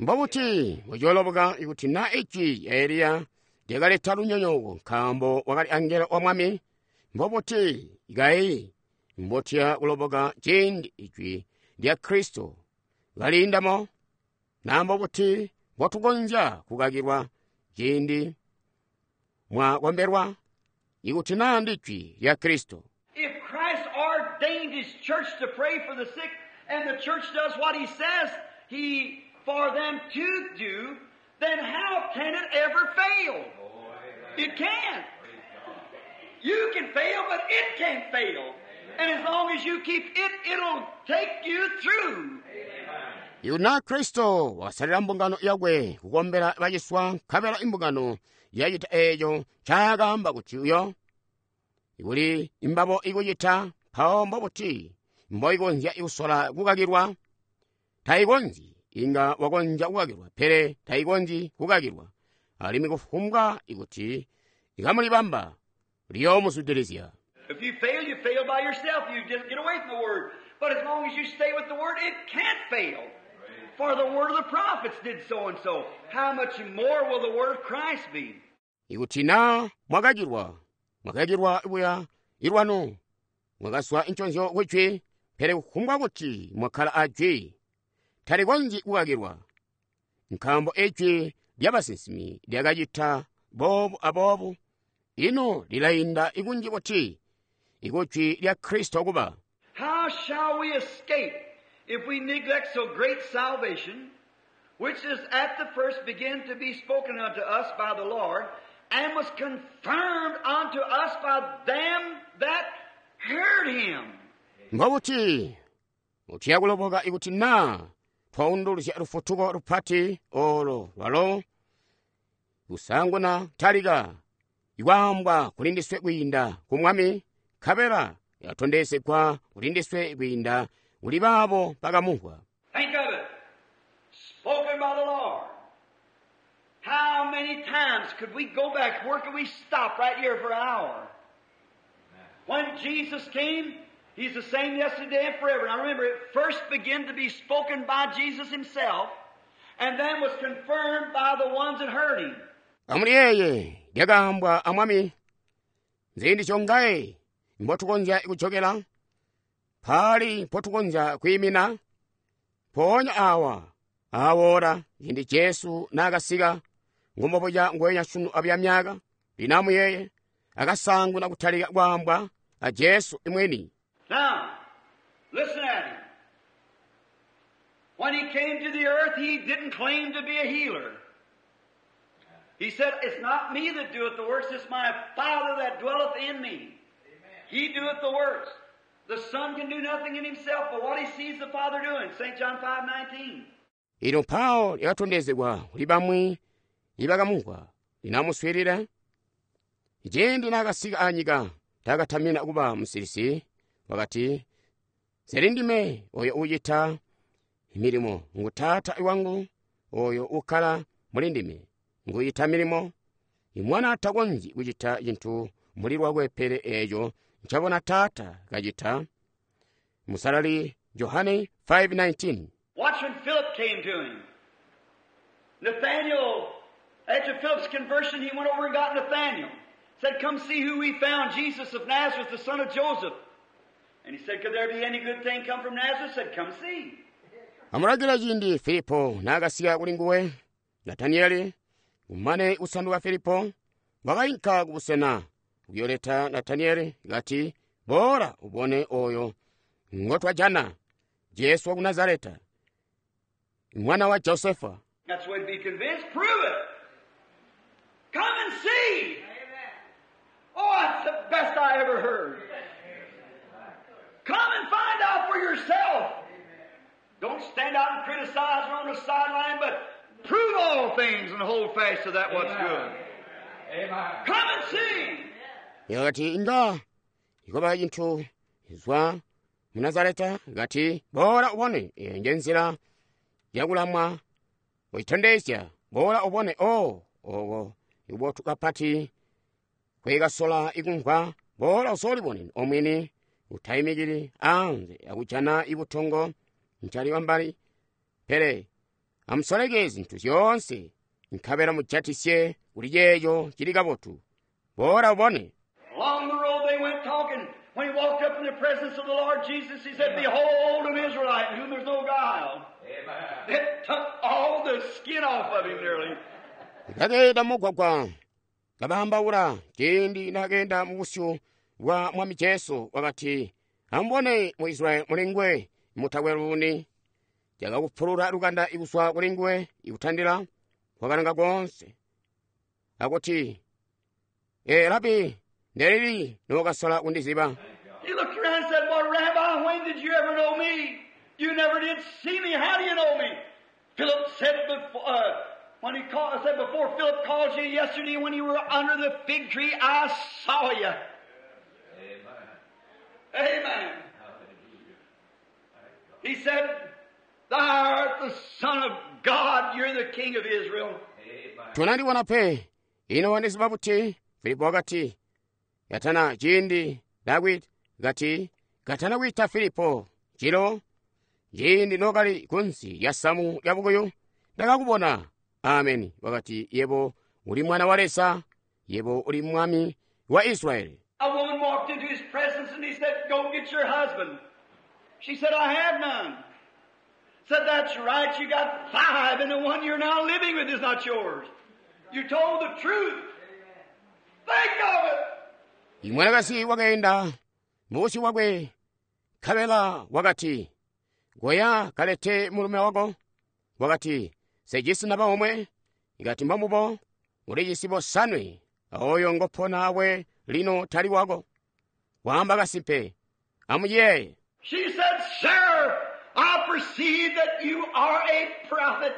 Mbobuti mbocooloboka ikuti na ijwi lya Eliya lyakaleta lunyonyooko nkaambo wakali angelo wa mwami? Mbobuti kayi mbotiya kuloboka ciindi ijwi lya Kristo kaliindamo? Na mbobuti mbotukonzya kukakilwa ciindi mwakombelwa ikuti naa ndijwi lya Kristo? If Christ ordained His church to pray for the sick, and the church does what He says He for them to do, then how can it ever fail? It can't. You can fail, but it can't fail. And as long as you keep it, it'll take you through. Ikuti naa Kristo wakasalila mbungano yakwe kukombela baciswa, nkabela imbungano yacita eeco ncaakaamba kuti uyo, ikuli imbabo ikucita, mpawo mbobuti mboikonzya kusola kukakilwa? Taikonzyi. Inga wakonzya kukakilwa, pele taikonzyi kukakilwa. Alimwi kufumbwa ikuti ikamulibamba liyoomuzwidilizya. If you fail, you fail by yourself. You just get away from the Word. But as long as you stay with the Word, it can't fail. For the word of the prophets did so and so. How much more will the word of Christ be? Ikuti naa mwakakilwa, mwakakilwa buya ilwanu, mwakazwa nconzyo ku Jwi, pele kufumbwa kuti mwakkala a Jwi, talikonzyi kukakilwa. Nkaambo Ijwi lyabasinsimi lyakacita boobu aboobu, ino lilainda ikunji buti ikujwi lya Kristo kuba? How shall we escape if we neglect so great salvation, which is at the first began to be spoken unto us by the Lord, and was confirmed unto us by them that heard him? Mbobuti tuyakuloboka ikuti naa twaunduluzya lufutuko lupati olo lwalo kusanguna talika ikwaambwa kuli ndiswe kwiinda ku Mwami, nkabela yatondezegwa kuli ndiswe kwiinda kuli baabo bakamumvwa. Think of it. Spoken by the Lord. How many times could we go back? Where could we stop right here for an hour? When Jesus came, He's the same yesterday and forever. Now remember, it first began to be spoken by Jesus Himself, and then was confirmed by the ones that heard Him. Amuliyeeye lyakaambwa a Mwami, nziindi zyongaye mbotukonzya kujokela, mpaali mpotukonzya kwiimina, mpoonya awa aawoola ciindi Jesu naakasika, ngumbobuca ngweenya sunu abuya myaka, lino amuyeeye, akasaanguna kutalika kwaambwa a Jesu mwini. Now, listen at him. When he came to the earth, he didn't claim to be a healer. He said, It's not me that doeth the works, it's my Father that dwelleth in me. He doeth the works. The Son can do nothing in himself but what he sees the Father doing. St. John 5:19. Ino mpawo lyakatondezegwa kuli bamwi ibakamumvwa, lino amuswiilile. Ciindi naakasika anyika, taakatamina kuba musilisi, wakati, Nseli ndime oyo uucita milimo, ngu Taata wangu oyo uukkala muli ndime, nguucita milimo. Imwana takonzyi kucita cintu muli lwakwe pele eeco ncabona Taata kacita. Musalali Johane 5:19. Watch when Philip came to him. Nathanael, after Philip's conversion, he went over and got Nathanael. Said, Come see who we found, Jesus of Nazareth, the son of Joseph. And he said, Could there be any good thing come from Nazareth? Said, Come see. Amulangila ciindi Filipo naakasika kuli nguwe, Nataniyeli, kumane kusanduka Filipo, wakainka kubusena kuyooleta Nataniyeli kati, Boola ubone oyo ngotwajana, Jesu waku Nazareta, mwana wa Josefa. That's the way to be convinced. Prove it. Come and see. Oh, that's the best I ever heard. Come and find out for yourself. Don't stand out and criticize or on the sideline, but prove all things and hold fast to that what's good. Amen. Come and see. Yakati inga ikoba cintu zwa mu Nazareta, kati boola ubone, eyo nje nzila yakulamwa kucitondezya, boola ubone, o oko ikubotu kapati kwekasola ikumvwa, boola usoolibone omwini, utaimikili anze akujana ibutongo ncali wambali, pele amusoleke zintu zyoonse nkabela mujatisye kuli ceeco cili kabotu, boola ubone. Along the road they went talking. When he walked up in the presence of the Lord Jesus, he said, Behold, an Israelite in whom there's no guile. Amen. It took all the skin off of him nearly. Kakeenda mugwagwa kabaambaula ciindi nakeenda mubusyu bwa Mwami Jesu, wakati, Amubone mu Israeli mulingwe mutakwe luuni. Cakakupulula lukanda ikuzwa kulinguwe ikutandila kwakalanga koonse, akuti, Ee Rabi, ndelili nookasola kundiziba? He looked around and said, Well, Rabbi, when did you ever know me? You never did see me. How do you know me? Philip said before, when he called, said before Philip called you yesterday when you were under the fig tree, I saw you. Amen. Amen. He said, Thou art the Son of God. You're the King of Israel. Amen. Tonandibona pe. Ino wandiziba buti? Filipo wakati, katana ciindi ndakwita, kati, katana kwiita Filipo, jilo, ciindi nokali kunsi lya samu lya bukuyu, ndakakubona. Ameni. Wakati, yebo uli mwana wa Leza, yebo uli mwami wa Israeli. A woman walked into his presence and he said, Go get your husband. She said, I have none. Said, That's right, you got 5 and the one you're now living with is not yours. You told the truth. Think of it. Imwanakazi wakaenda mubusyu bwakwe, nkabela wakati, Koya kalete mulume wako. Wakati, Sejisi naba omwe. Ikati mbambubo, ulijisi bosanwe, oyo ngopona awe lino tali wako. Waamba kasimpe. Amuyeeye. She said, Sir, I perceive that you are a prophet,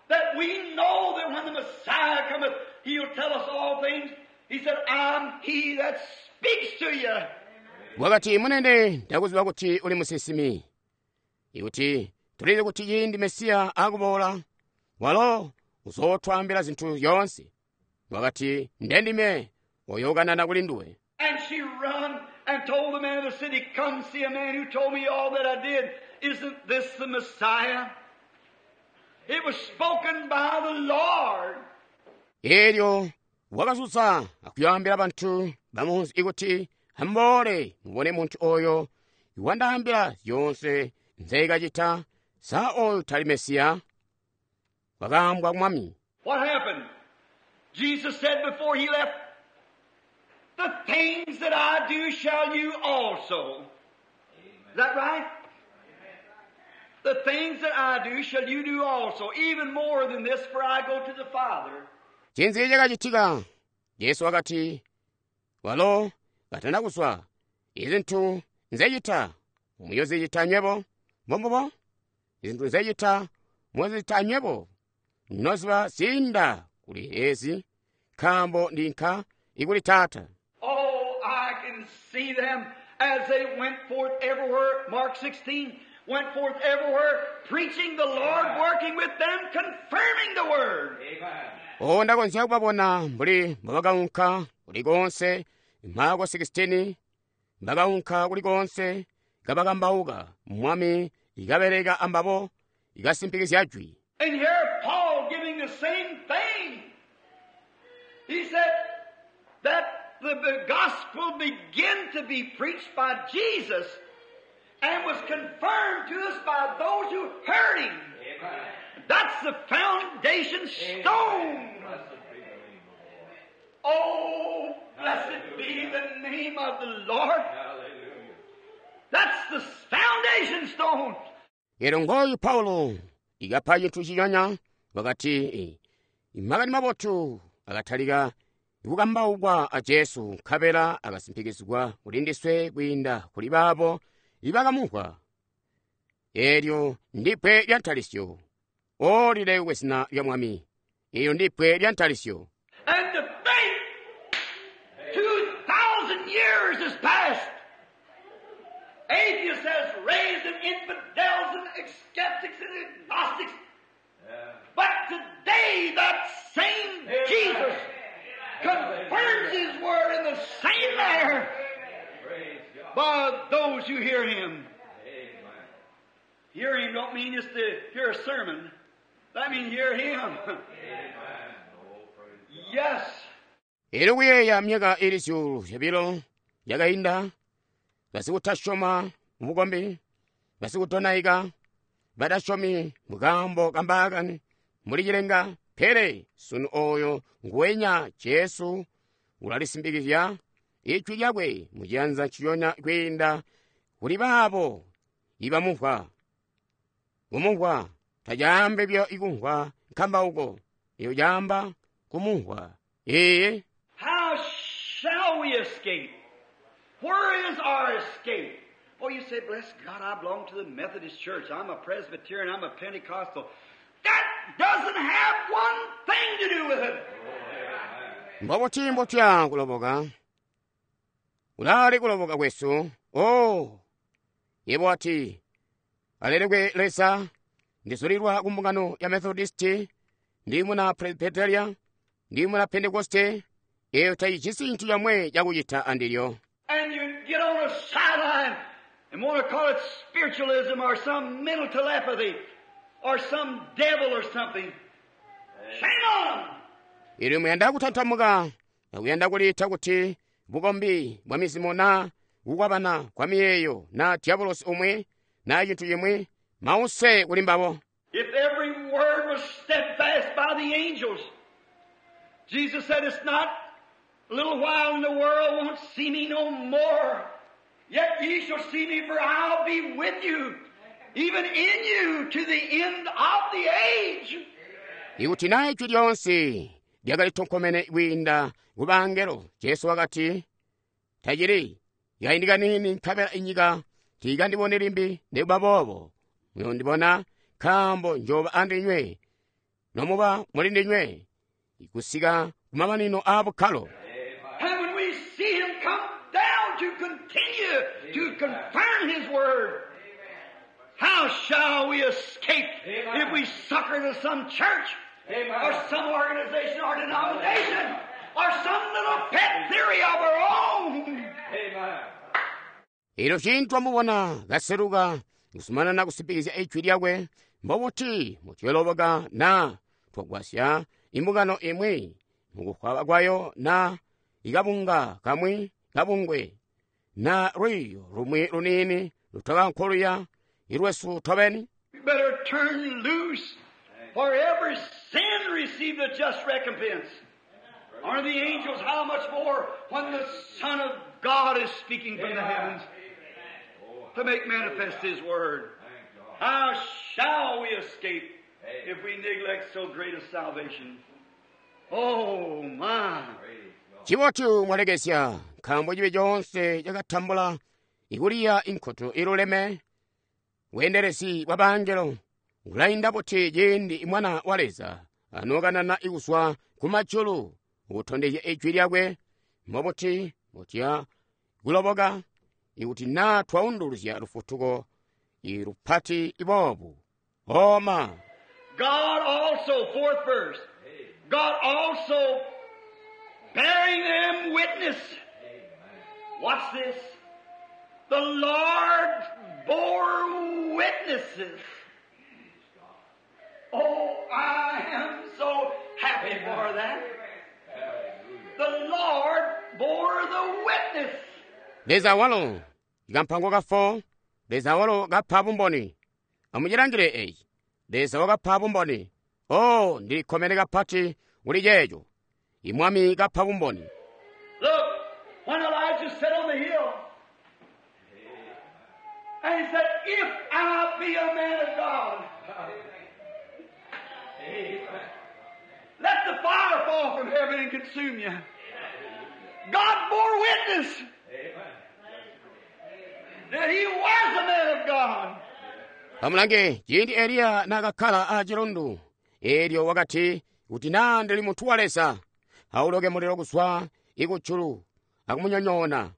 that we know that when the Messiah cometh, he'll tell us all things. He said, I'm he that speaks to you. Wakati munene ndakuziba kuti uli musinsimi, ikuti tulizi kuti ciindi Mesiya akuboola, walo uzootwaambila zinthu zyoonse. Wakati ndendime oyo ukanana kuli nduwe. And she run and told the man of the city, Come see a man who told me all that I did. Isn't this the Messiah? It was spoken by the Lord. Elyo wakazutsa akuyambira bantu bamunzi ikuti amboole mubone munthu oyo wandaambila zyonse nzekachita sa oyo tali Mesiya. Wakaambwa mwami. What happened? Jesus said before he left, The things that I do shall you also. Is that right? The things that I do shall you do also, even more than this, for I go to the Father. Chinzi chakachitika, Yesu akati, walo katana kuswa, izinthu nzechita, muyozichita nywebo, mbombobo, izinthu nzechita, muyozichita nywebo, noziba zinda kuli ezi, nkambo ndinka ikuli Tata. Oh, I can see them as they went forth everywhere. Mark 16, went forth everywhere, preaching the Lord, working with them, confirming the Word. Amen. O ndakonzeka kubabona mbuli mbabakaunka kulikonse, Marko 16, mbakaunka kulikonse, kabakambauka, mwami ikabereka ambabo, ikasimpikizya jwi. And here Paul giving the same thing. He said that the gospel began to be preached by Jesus and was confirmed to us by those who heard him. Amen. That's the foundation stone. Blessed be the name of the Lord. Oh, blessed be the name of the Lord. Hallelujah. That's the foundation stone. Ero ngoyu Paulo ikapha chinthu chinyanya wakati makani mabotu akathalika ikukambaukwa a Jesu nkhabela akasimpikizidwa kuli ndiswe kuyinda kuli babo ibakamuhwa. Elyo ndipwe lya ntalisyo, olilekwe zina lya Mwami. Iyo ndipwe lya ntalisyo. And to think 2,000 years has passed. Atheists has raised and infidels and skeptics and agnostics. Yeah. But today that same Jesus confirms His word in the same manner Praise God. by those who hear Him. Amen. Hear Him don't mean just to hear a sermon. That means hear Him. Amen. Oh, praise God. Yes. Ero kuyeya myaka ili zyuulu zyobilo yakayinda, basikutasyoma mubukombi, basikudonaika, badasyomi mukambo kambaakani muli cilenga, pele sunu oyo nguwenya Jesu ulalisimbikizya ijwi lyakwe muciyanza nciyonya kwiinda kuli baabo ibamumvwa. Kumumvwa tacaambi byo ikumvwa nkambauko, iyo caamba kumumvwa. Iye. How shall we escape? Where is our escape? Oh, you say, bless God, I belong to the Methodist Church. I'm a Presbyterian. I'm a Pentecostal. That doesn't have one thing to do with it. Mbobuti mbotya kuloboka? Ulali kuloboka kwesu. Oh, yebo ati, alelekwe Leza, ndizulirwa ku mbungano ya Methodisti, Ndi muna Presbyteria, ndi muna Pentekoste, eyo tayijisi chintu chomwe chakuchita andilyo. And you get on a sideline and want to call it spiritualism or some mental telepathy or some devil or something. Shame on 'em! Inu muyanda kutanthamuka, akuyanda kulitha kuti bukombi bwa mizimu na kukwapana kwa miyeyo na diabolosi omwe na chinthu chimwe mause kuli mbabo. If every word was steadfast by the angels, Jesus said, It's not a little while and the world won't see me no more. Yet ye shall see me, for I'll be with you, even in you, to the end of the age. Ikuti na ijwi lyonse lyakalitonkomene kwiinda ku bangelo, Jesu wakati, tachili kaindi kanini nkabela inyika tiikandibone limbi nikuba boobo muyondibona nkaambo njoba andinywe nomuba muli ndinywe kusika kumamanino a bukkalo. And when we see Him come down to continue to confirm His Word, how shall we escape if we sucker to some church or some organization or denomination or some little pet theory of our own? Amen. Ilo chinthu amubona kaseruka kusumanana kusipikiza ijwi lyakwe mbobuti mutyoloboka na twagwasya imbungano imwi mukukhwaba kwayo na ikabunga kamwi kabungwe na lwiyo lumwi lunini lutaka nkholuya ilwesu tobeni. We better turn loose, for every sin received a just recompense. Are the angels how much more when the Son of God is speaking from the heavens to make manifest His Word? How shall we escape if we neglect so great a salvation? Oh my! Chibotu mwalekesya nkambo chibe chonse chakatambula ikuliya inkhoto iluleme bweendelezi bwa bangelo kulayinda buti ciindi mwana wa Leza anokanana ikuswa kumajulu ukutondezya ijwi lyakwe mbobuti mutya kuloboka ikuti na twaunduluzya lufutuko ilupati iboobu oma. God also, fourth verse, God also bearing them witness. Watch this. The Lord bore witnesses. Oh, I am so happy for that. The Lord bore the witness. Leza walo ikampango ka 4 Leza walo kapha bumboni amuchilangire echi Leza wakapha bumboni oh ndilikhomere kapati kuli checho imwami kapha bumboni. Look, when Elijah sat on the hill, and he said, If I be a man of God, let the fire fall from heaven and consume you. God bore witness that he was a man of God. Pamulange ciindi Eliya nakakhala a chilundu elyo wakati kuti na ndili munthu wa Leza auloke muliro kuswa ikutchulu akumunyonyoona.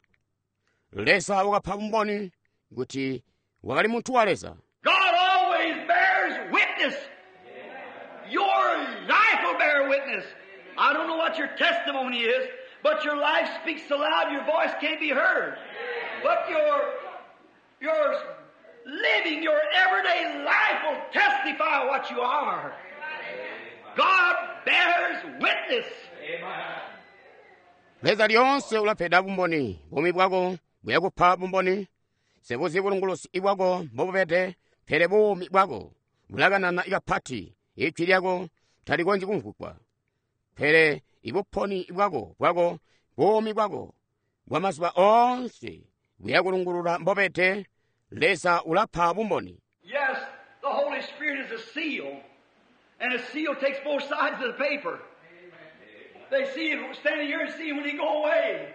Leza wakapha bumboni kuti wakali munthu wa Leza. God always bears witness. Your life will bear witness. I don't know what your testimony is, but your life speaks so loud your voice can't be heard. But your living, your everyday life will testify what you are. God bears witness. Leza lyonse ulapheda bumboni bumi bwako buyakupha bumboni sebuzi bulungulusi ibwako mbobubede pele bumi bwako bulakanana ikapati ijwi lyako talikonzyi kumvwigwa pele ibuponi bwako bwako bumi bwako bwa mazuba onse buyakulungulula mbobede. Leza ulapha bumboni. Yes, the Holy Spirit is a seal, and a seal takes both sides of the paper. They see it standing here and see him when he go away.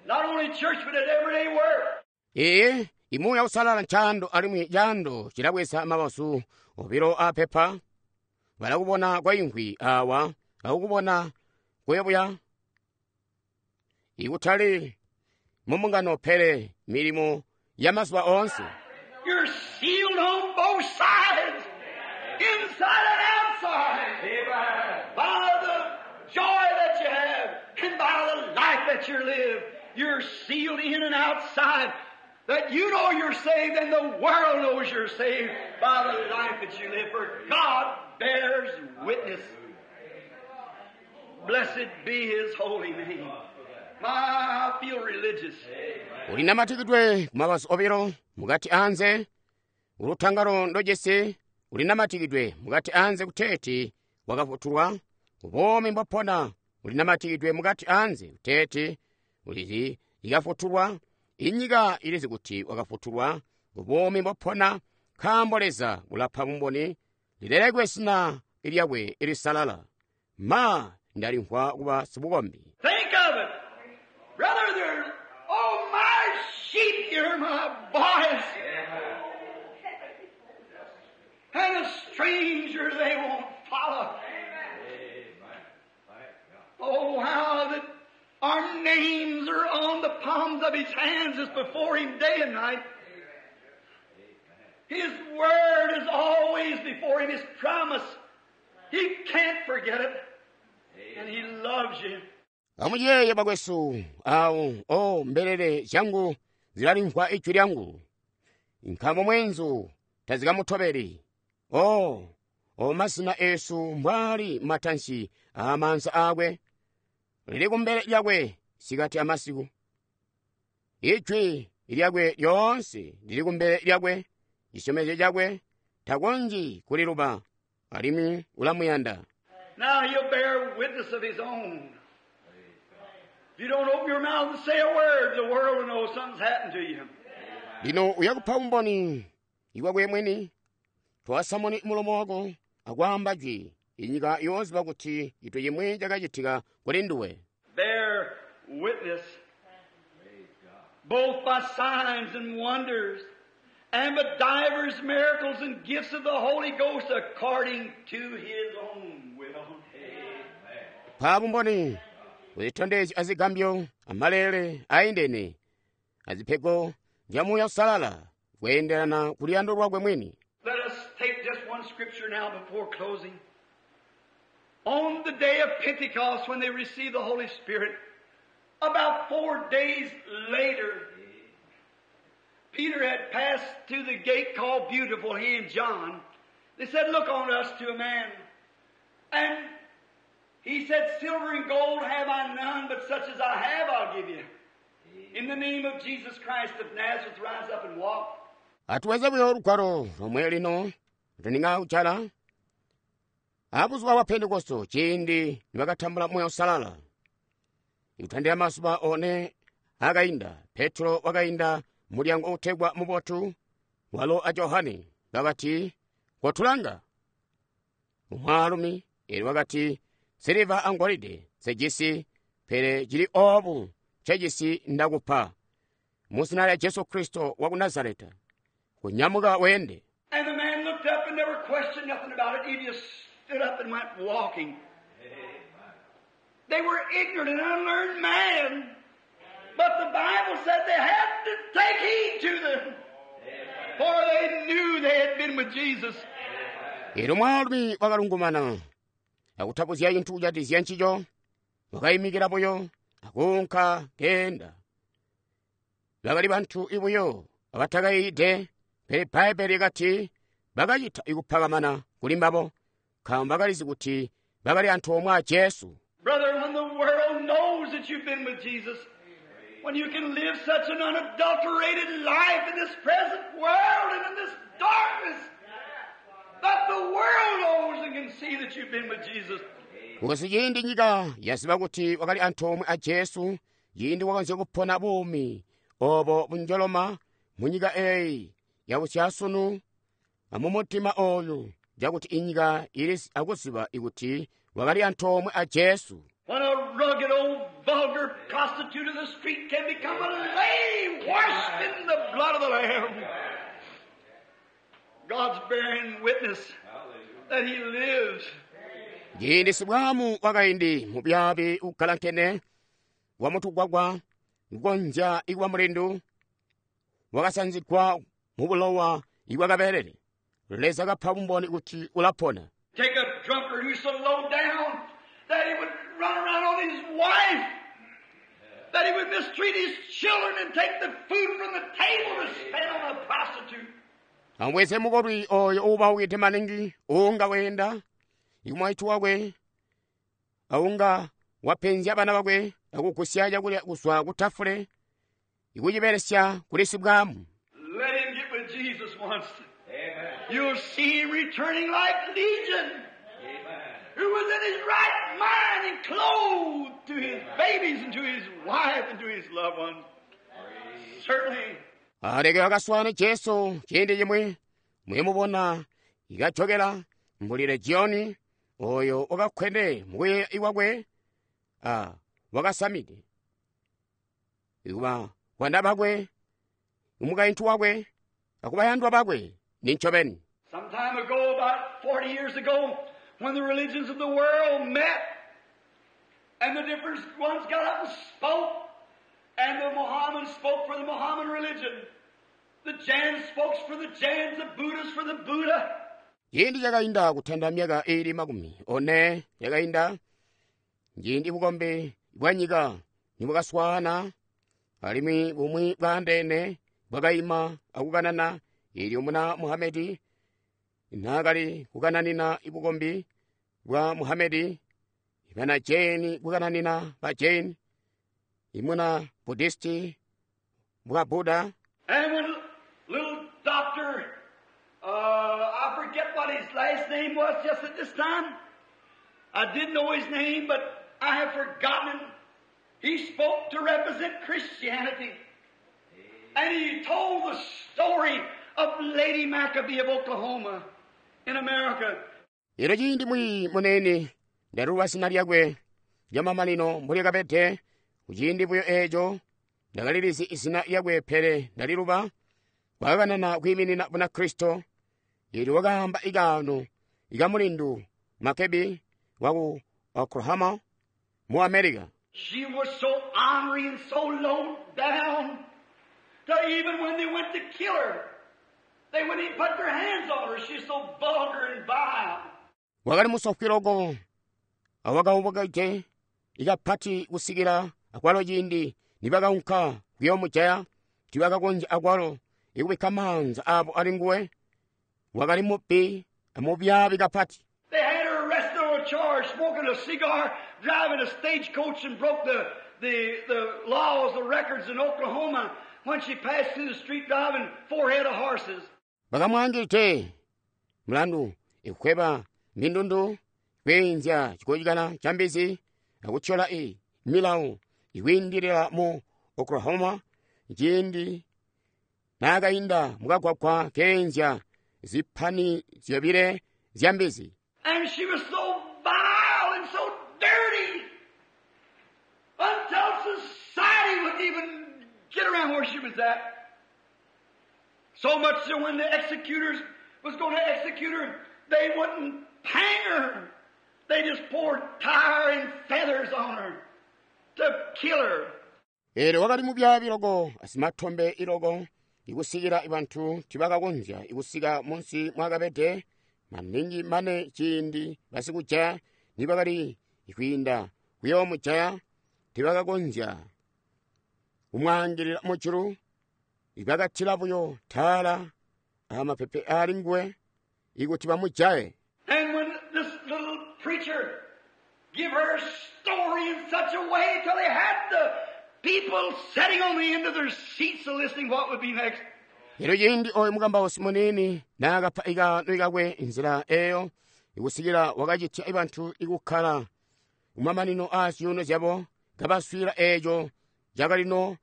Not only in church, but at everyday work. Iye imuya usalala ntchando alimwi chando chilabweza mabasu obilo aphepha balakubona kwa inkhwi awa akukubona kuyebuya ikutali mumungano pele milimo ya mazuba onse. You're sealed on both sides, inside and outside. Amen. that you live, you're sealed in and outside. That you know you're saved and the world knows you're saved by the life that you live. For God bears witness. Blessed be His holy name. My, I feel religious. Ulinamatikidwe kumabazu obilo mukati anze ulutangalo ndojesi ulinamatikidwe mukati anze kuteeti wakafutulwa ubomi mbwapona ulinamatikidwe mukati anze kuteeti ulizi ikafutulwa inyika ilizi kuti wakafutulwa ubomi mbwapona nkaambo Leza ulapa bumboni lilelekwe sina lyakwe lisalala ma ndalimvwa kuba sibukombi. Think of it. Brother, they're, oh, my sheep hear my voice. And a stranger they won't follow. Oh, how that our names are on the palms of His hands is before Him day and night. His word is always before Him, His promise. He can't forget it. And He loves you. Amuyeeye bakwesu awo o mbelele zyangu zilalimvwa ijwi lyangu nkaambo mweenzu tazikamutobeli o o mazina esu mbwali matansi aamaanza aakwe lili kumbele lyakwe sikati amasiku ijwi lyakwe lyoonse lili kumbele lyakwe cisyomezyo cakwe takonzyi kuliluba alimwi ulamuyanda. Now he'll bear witness of his own. If you don't open your mouth and say a word, the world will know something's happened to you. Lino uyakupa umboni iwakwe mwini twasamuni mulomo wako akwaamba jwi inyika yooziba kuti itu chimwi chakachitika kuli nduwe. Bear witness, both by signs and wonders, and by divers miracles and gifts of the Holy Ghost according to His own will. Pa bumboni kuzitondezi azigambyo amalele aindene azipheko zya Muuya Usalala kuyenderana kuliyando lwakwe mwini. Let us take just one scripture now before closing. On the day of Pentecost, when they received the Holy Spirit, about 4 days later, Peter had passed through the gate called Beautiful, he and John. They said, Look on us to a man. And he said, Silver and gold have I none, but such as I have I'll give you. In the name of Jesus Christ of Nazareth, rise up and walk. Atuweze buyo lugwalo lomwe lino ndininga kuchala abuzuba bwa Pentekosto ciindi nibakatambula Muuya Usalala ikutandira masuba one akainda Petro wakainda mulyango utegwa mubotu walo a Johane bakati kotulanga umwaalumi eli wakati siliva angolide sejisi pele cili obu cejisi ndakupa muzina lya Jesu Kristo wa ku Nazareta kunyamuka wende. And the man looked up and never questioned nothing about it. He just stood up and went walking. They were ignorant and unlearned man. But the Bible said they had to take heed to them. For they knew they had been with Jesus. Elo mwaalumi wakalungumana akutapuzya cinthu kucatizya ncico wakayimikira buyo akunka kenda. Bakali banthu ibuyo abatakayiide pele Bbaibele likati bakacita ikuphakamana kuli mbabo nkaambo bakalizi kuti bakali anthu omwe a Jesu. Brother, when the world knows that you've been with Jesus, when you can live such an unadulterated life in this present world and in this darkness, that the world knows and can see that you've been with Jesus. Kukosi ciindi nyika yaziba kuti wakali anthu omwe a Jesu, ciindi wakonzya kupona bumi obo bunjoloma mu nyika eyi yabusyasunu amumutima oyu cakuti inyika ili akuziba ikuti wakali anthu omwe a Jesu. When a rugged old vulgar prostitute of the street can become a lady washed in the blood of the Lamb, God's bearing witness that He lives. Ciindi sibwamu wakaindi mubyabi ukkalankene wa mutugwagwa kukonzya ikuba mulindu wakasanzigwa mu bulowa ibwakaberere Leza kapa bumboni kuti ulapona. Take a drunkard who's so low down that he would run around on his wife. that he would mistreat his children and take the food from the table to spend on a prostitute. Amubweze mukolwi oyo uubaukide maningi uunga weenda ikumwaitu wakwe aunga wapenzya bana bakwe akugusya cakulya kuzwa ku tafule ikucibelesya kuli sibwamu. Let him get with Jesus once. Amen. You'll see him returning like Legion, Amen. who was in his right mind and clothed to his babies and to his wife and to his loved ones. Certainly. Aleke akaswane Jesu ciindi cimwi muyemubona ikajokela mbuli Legioni oyo wakakkwene mukuyeeya iwakwe a wakasamide ikuba bana bakwe umukaintu wakwe akubayandwa bakwe ni ncobeni. Some time ago, about 40 years ago, when the religions of the world met and the different ones got up and spoke, and the Mohammedans spoke for the Mohammedan religion, the Jains spoke for the Jains, the Buddhists for the Buddha. Ciindi cakainda kutanda myaka iili 40 yakainda, ciindi bukombi bwa nyika nibwakaswaana alimwi bumwi bwaandeene bwakaima akukanana eelyo muna Muhamedi naakali kukananina bukombi bwa Muhamedi, bana Jain kukananina ba Jain, imuna Buddhisti bwa Buddha. And when little doctor, I forget what his last name was just at this time. I did know his name, but I have forgotten him. He spoke to represent Christianity. And he told the story of Lady Maccabee of Oklahoma in America. Elo ciindi mwi munene ndaluba zina lyakwe lyamamanino mbuli kabede kuciindi buyo eeco ndakalilizi izina lyakwe pele ndaliluba wakakanana kwiiminina Bunakristo eelyo wakaamba ikaano ikamulindu Makebi waku Oklahoma mu America. She was so honorary and so low down that even when they went to kill her, they wouldn't even put their hands on her. She's so vulgar and vile. Wakali musofwi loko awakaubukide ikapati kusikila akwalo ciindi nibakaunka kuyoomujaya tiibakakonzya akwalo ikubikka maanza aabo ali nguwe. Wakali mubbi amubyaabi kapati. They had her arrested on a charge, smoking a cigar, driving a stagecoach, and broke the laws, the records in Oklahoma when she passed through the street driving 4 head of horses. Bakamwaangilide mulandu ikukweba mindundu kweenzya cikocikala ca mbizi akutyola milawo ikwiindilila mu Oklahoma ciindi naakainda mukagwagwa keenzya zipani zyobile zya mbizi. And she was so vile and so dirty until society wouldn't even get around where she was at. So much so when the executors was going to execute her, they wouldn't hang her. They just poured tar and feathers on her to kill her. Eelyo wakali mubyaabi loko asimatombe iloko ikusikila bantu tibakakonzya ikusika munsi mwakabede maningi mane ciindi basikujaya nibakali kwiinda kuyoomujaya tibakakonzya kumwaangilila mujulu ibakatila buyo taala amapepe aali nguwe ikuti bamujaye. And when this little preacher give her story in such a way till they had the people sitting on the end of their seats listening what would be next. Elyo ciindi oyo mukambausi muniini naakapa ikaano ikakwe nzila eyo ikusikila wakacitya bantu ikukkala kumamanino aa zyuuno zyabo kabaswiila eeco cakalino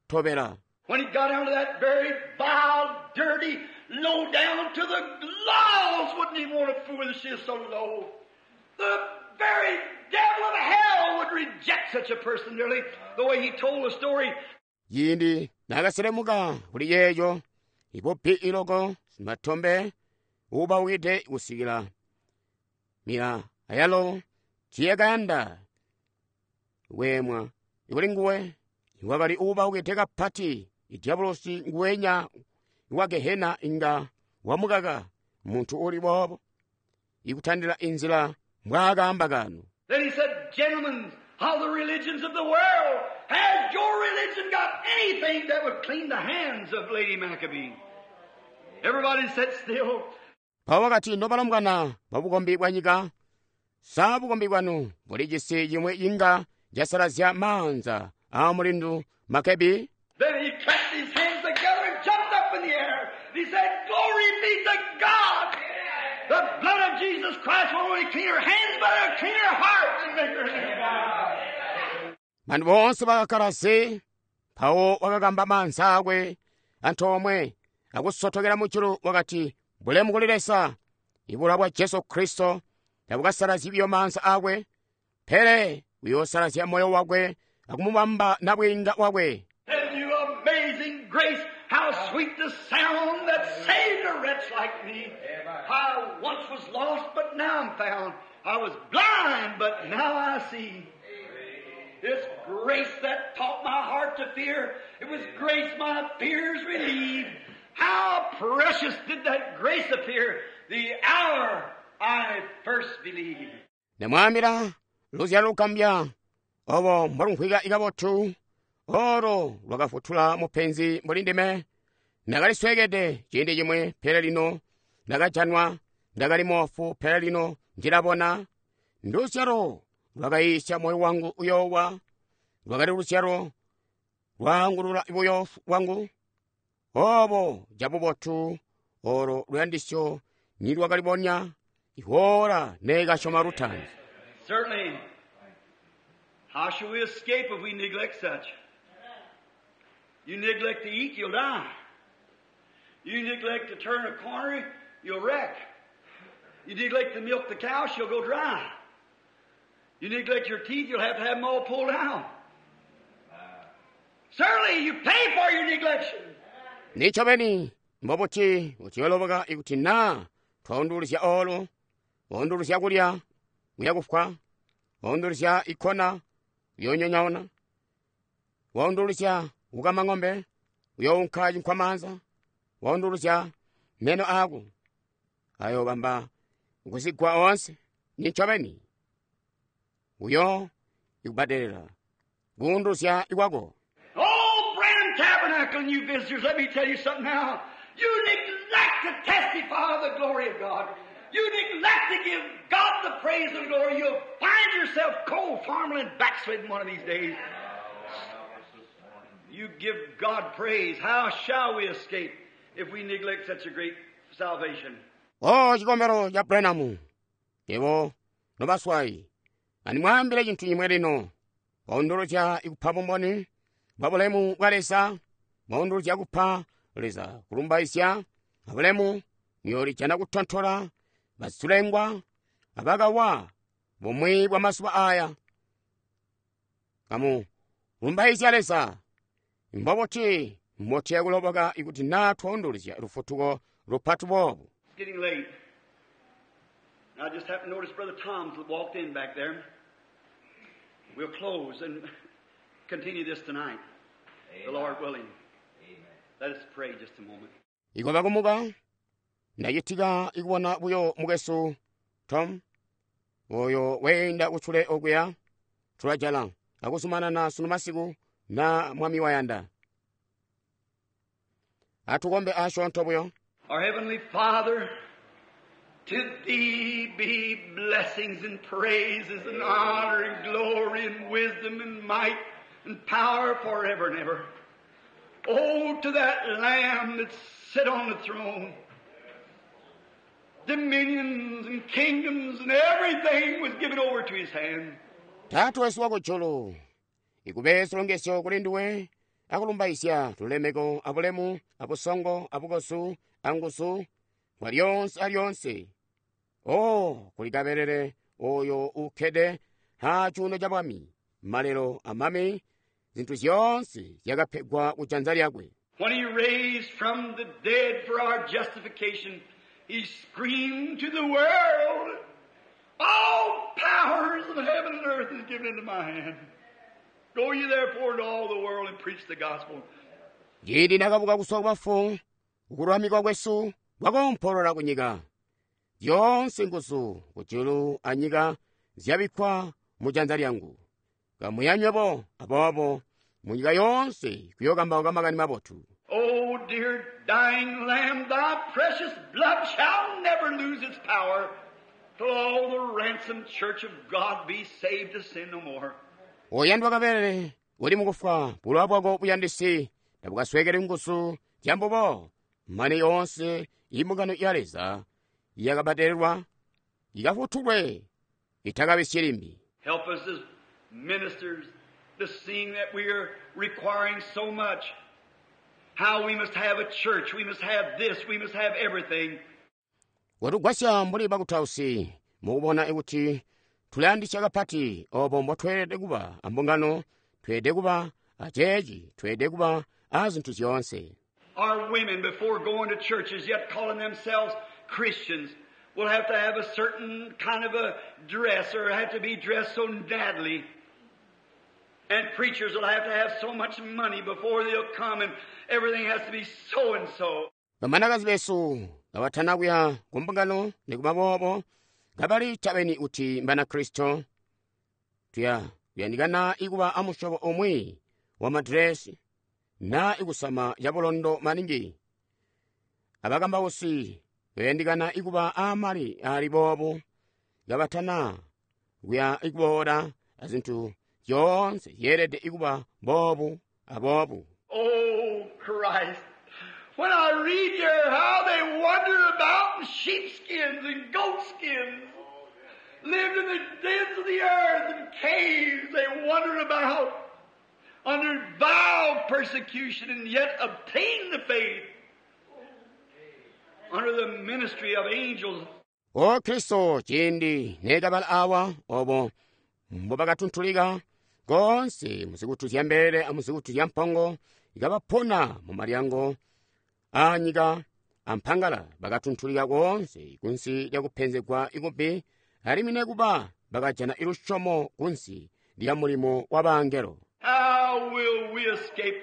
tobela. When he got down to that very vile, dirty, low down to the laws, wouldn't even want to fool with her. She is so low. The very devil of hell would reject such a person, nearly the way he told the story. Ciindi naakaselemuka kuli yeeyo ipopi iloko simatombe uubaukide kusikila mila ayalo tiyakayanda weemwa ikuli nguwe wakali uubaukide kapati idiabulosi nguwenya wa Gehena inga wamukaka muntu uli boobo ikutandila inzila mbwaakaamba kano. Then he said, gentlemen of the religions of the world, Has your religion got anything that would clean the hands of Lady Maccabee? Everybody sat still. Mpawo wakati, Nobalombwana babukombi bwanyika, sa bukombi bwanu bulijisi cimwi inga casalazya maanza aa mulindu Maccabee? Then he clapped his hands together and jumped up in the air. He said, Glory be to God! The blood of Jesus Christ won't only clean her hands, but it'll clean her heart and make her new. Bantu boonse bakakkala zi, mpawo wakakamba maanza akwe antoomwe akusotokela mujulu wakati, Bulemu kuli Leza! Ibulowa bwa Jesu Kristo tabukasalazyi buyo maanza akwe, pele buyoosalazya moyo wakwe akumubamba nabwiinga wakwe. And you amazing grace, how sweet the sound that saved a wretch like me. I once was lost, but now I'm found. I was blind, but now I see. It's grace that taught my heart to fear. It was grace my fears relieved. How precious did that grace appear the hour I first believed. Ndamwaambila luzyalo lugambya obo mbolumvwika kabotu olo lwakafutula mupenzi mbuli ndime. Ndakalisweekede ciindi cimwi, pele lino ndakajanwa. Ndakali moofu, pele lino ndilabona. Nduzyalo lwakayiisya moyo wangu uyoowa. Lwakali luzyalo lwaangulula buyoofu bwangu. Obo cabubotu olo luyandisyo nilwakalibonya ihoola neekasyoma lutaanzi. Certainly, how shall we escape if we neglect such? You neglect to eat, you'll die. You neglect to turn a corner, you'll wreck. You neglect to milk the cow, she'll go dry. You neglect your teeth, you'll have to have them all pulled out. Certainly, you pay for your neglection. Nincobeni mbobuti uciyoloboka ikuti naa twaunduluzya olo, waunduluzya kulya, uya kufwa, waunduluzya ikkona, uyoonyonyoona, waunduluzya kukama ŋombe, uyounka cinkwamaanza, waunduluzya meno aako, ayoobamba kuzigwa oonse. Nincobeni uyo ikubbadelela kuunduluzya kwako. Oh, Branham Tabernacle and you visitors, let me tell you something now. You neglect to testify of the glory of God. You neglect to give God the praise and glory. You'll find yourself cold, farmland, backslidden one of these days. You give God praise. How shall we escape if we neglect such a great salvation? O cikombelo ca Branham, yebo nobaswayi, andimwaambile cintu cimwi lino. Waunduluzya ikupa bumboni bwa bulemu bwa Leza, mwaunduluzya kupa Leza kulumbaizya abulemu, muyoolijana kutontola bazilengwa abakawa bumwi bwa mazuba aya. Kamu lumbaizya Leza. Mbobuti mbotuya kuloboka ikuti naa twaunduluzya lufutuko lupati boobu? It's getting late. I just happened to notice Brother Tom's walked in back there. We'll close and continue this tonight, the Lord willing. Let us pray just a moment. Ikoba kumuka ndacitika ikubona buyo mukwesu Tom oyo weenda kucule okuya. Tulajala akuzumanana sunu masiku na Mwami wayanda. Atukombe asyoonto buyo. Our Heavenly Father, to Thee be blessings and praises and honor and glory and wisdom and might and power forever and ever. Oh, to that Lamb that sit on the throne, dominions and kingdoms and everything was given over to His hand. Taata wesu wakujulu, ikube zilongezyo kuli nduwe akulumbaizya lulemeko abulemu abusongo abukozu anguzu kwa lyonse alyonse. O kuli kabelele oyo ukkede ha cuuno ca bwami, malelo amami, zintu zyoonse zyakapegwa kujanza lyakwe. When He raised from the dead for our justification, He screamed to the world, All powers of heaven and earth is given into my hand. Go ye therefore into all the world and preach the gospel. Ciindi nakabuka kuzwa kubafu, kululamikwa kwesu kwakoompolola kunyika. Zyoonse nguzu kujulu anyika zyabikkwa mujanza lyangu. Kamuya nywebo aboobo Munyika yoonse kuyookambauka makani mabotu. Oh, dear dying Lamb, thy precious blood shall never lose its power till all the ransomed church of God be saved to sin no more. Oyandwa kabelele uli mukufwa bulowa bwako buyandisi tabukaswekele nguzu zyambubo mane yoonse imbungano ya Leza yakabadelelwa ikafutulwe itakabisyi limbi. Help us as ministers to seeing that we are requiring so much. How we must have a church, we must have this, we must have everything. Watugwasya mbuli bakutausi mukubona kuti tulayandisya kapati obo mbotweelede kuba ambungano, tweelede kuba aceeci, tweelede kuba azintu zyoonse. Our women, before going to churches, yet calling themselves Christians, will have to have a certain kind of a dress or have to be dressed so nattily. And preachers will have to have so much money before they'll come, and everything has to be so and so. Bamanakazi besu kabatana kuya kumbungano nikuba boobo kabali tabeni kuti Mbanakristo, tuya kuyandikana ikuba amusyobo umwi wa madresi na ikusama cabulondo maningi. Abakambausi bayandikana ikuba amali ali boobu kabatana kuya ikuboola azintu zyoonse zyeelede ikuba boobu aboobu. Oh, Christ. When I read here how they wandered about in sheepskins and goatskins, lived in the dens of the earth and caves, they wandered about under vile persecution and yet obtained the faith under the ministry of angels. O Kristo ciindi neekabala awa obo mbobakatuntulika konse muzikutu zya mbelele amuzikutu zya mpongo ikabapona mu malyango aanyika ampangala bakatuntulika koonse kunsi lya kupenzegwa ikubi alimwi nekuba bakajana ilusyomo kunsi lya mulimo wa bangelo. How will we escape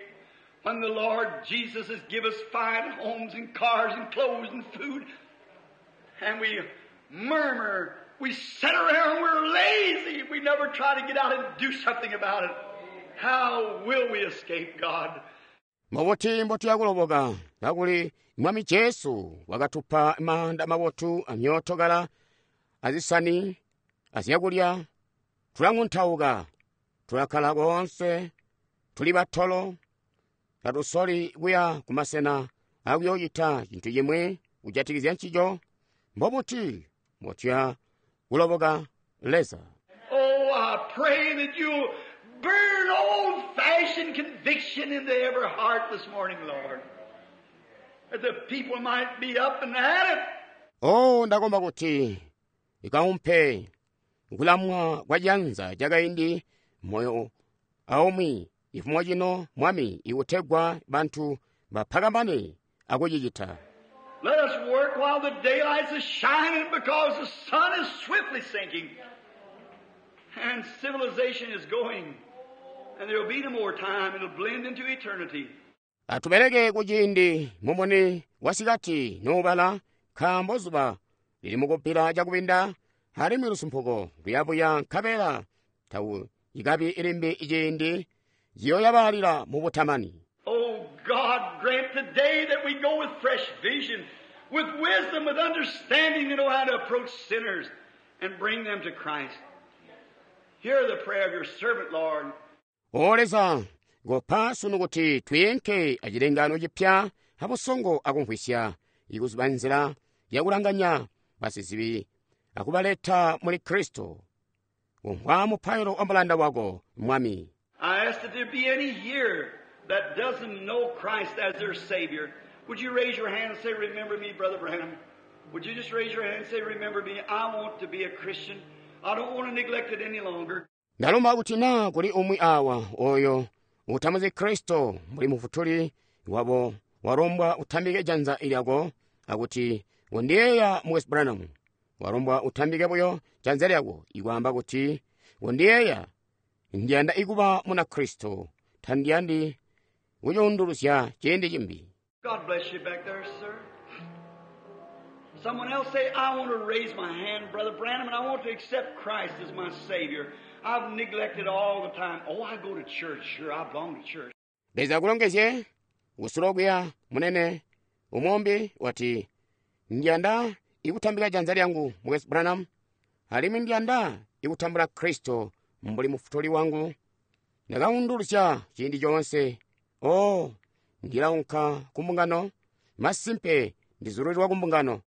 when the Lord Jesus has given us fine homes and cars and clothes and food, and we murmur, we sit around, we're lazy, we never try to get out and do something about it. How will we escape, God? Mubuti mbotuyakuloboka kakuli Mwami Jesu wakatupa maanda mabotu amyootokala azisani azyakulya, tulang'untauka, tulakkala koonse, tuli batolo, tatusoli kuya kumasena akuyoocita cintu cimwi kujatikizya ncico. Mbobuti mbotuya kuloboka Leza? Oh, I pray that you'll burn old-fashioned conviction into every heart this morning, Lord, that the people might be up and at it. Oh, ndakomba kuti ikaumpe kulamwa kwa janza cakaindi moyo aumwi ifumo cino Mwami ikutegwa bantu bapakamane akucicita. Let us work while the daylight is shining, because the sun is swiftly sinking and civilization is going, and there will be no more time. It'll blend into eternity. Atubeleke kuciindi mumuni wasikati nuubala, nkaambo zuba lili mukubbila cakubinda alimwi lusumpuko luyabuya nkabela tawu ikabi ilimbi iciindi ciyoyabalila mu butamani. Oh God, grant today that we go with fresh vision, with wisdom, with understanding to know how to approach sinners and bring them to Christ. Hear the prayer of your servant, Lord. O Leza, ngopa sunu kuti twiinke acilengano cipya abusongo akumvwisya ikuziba nzila yakulanganya basizibi akubaleta muli Kristo. Kumvwa mupailo wa mulanda wako, Mwami. I ask that there be any here that doesn't know Christ as their Savior. Would you raise your hand and say, Remember me, Brother Branham? Would you just raise your hand and say, Remember me? I want to be a Christian. I don't want to neglect it any longer. Ndalomba kuti na kuli umwi awa oyo utamuzi Kristo muli mufutuli wabo walombwa utambike janza lyako akuti undiyeeya Mukwesu Branham. Walombwa utambike buyo janza lyako ikwaamba kuti undiyeeya ndiyanda ikuba muna Kristo, tandiyandi kucuunduluzya ciindi cimbi. God bless you back there, sir. Someone else say, I want to raise my hand, Brother Branham, and I want to accept Christ as my Savior. I've neglected all the time. Oh, I go to church. Sure, I belong to church. Leza akulongezye kusule okuya, munene. Umwi umbi wati, Ndi yanda kutambika janza lyangu, Mukwesu Branham, alimwi Ndi yanda kutambula Kristo mbuli Mufutuli wangu. Nda kaundulusya ciindi coonse. Oh, Ndila unka ku mbungano. Masimpe, Ndi zulilwa ku mbungano.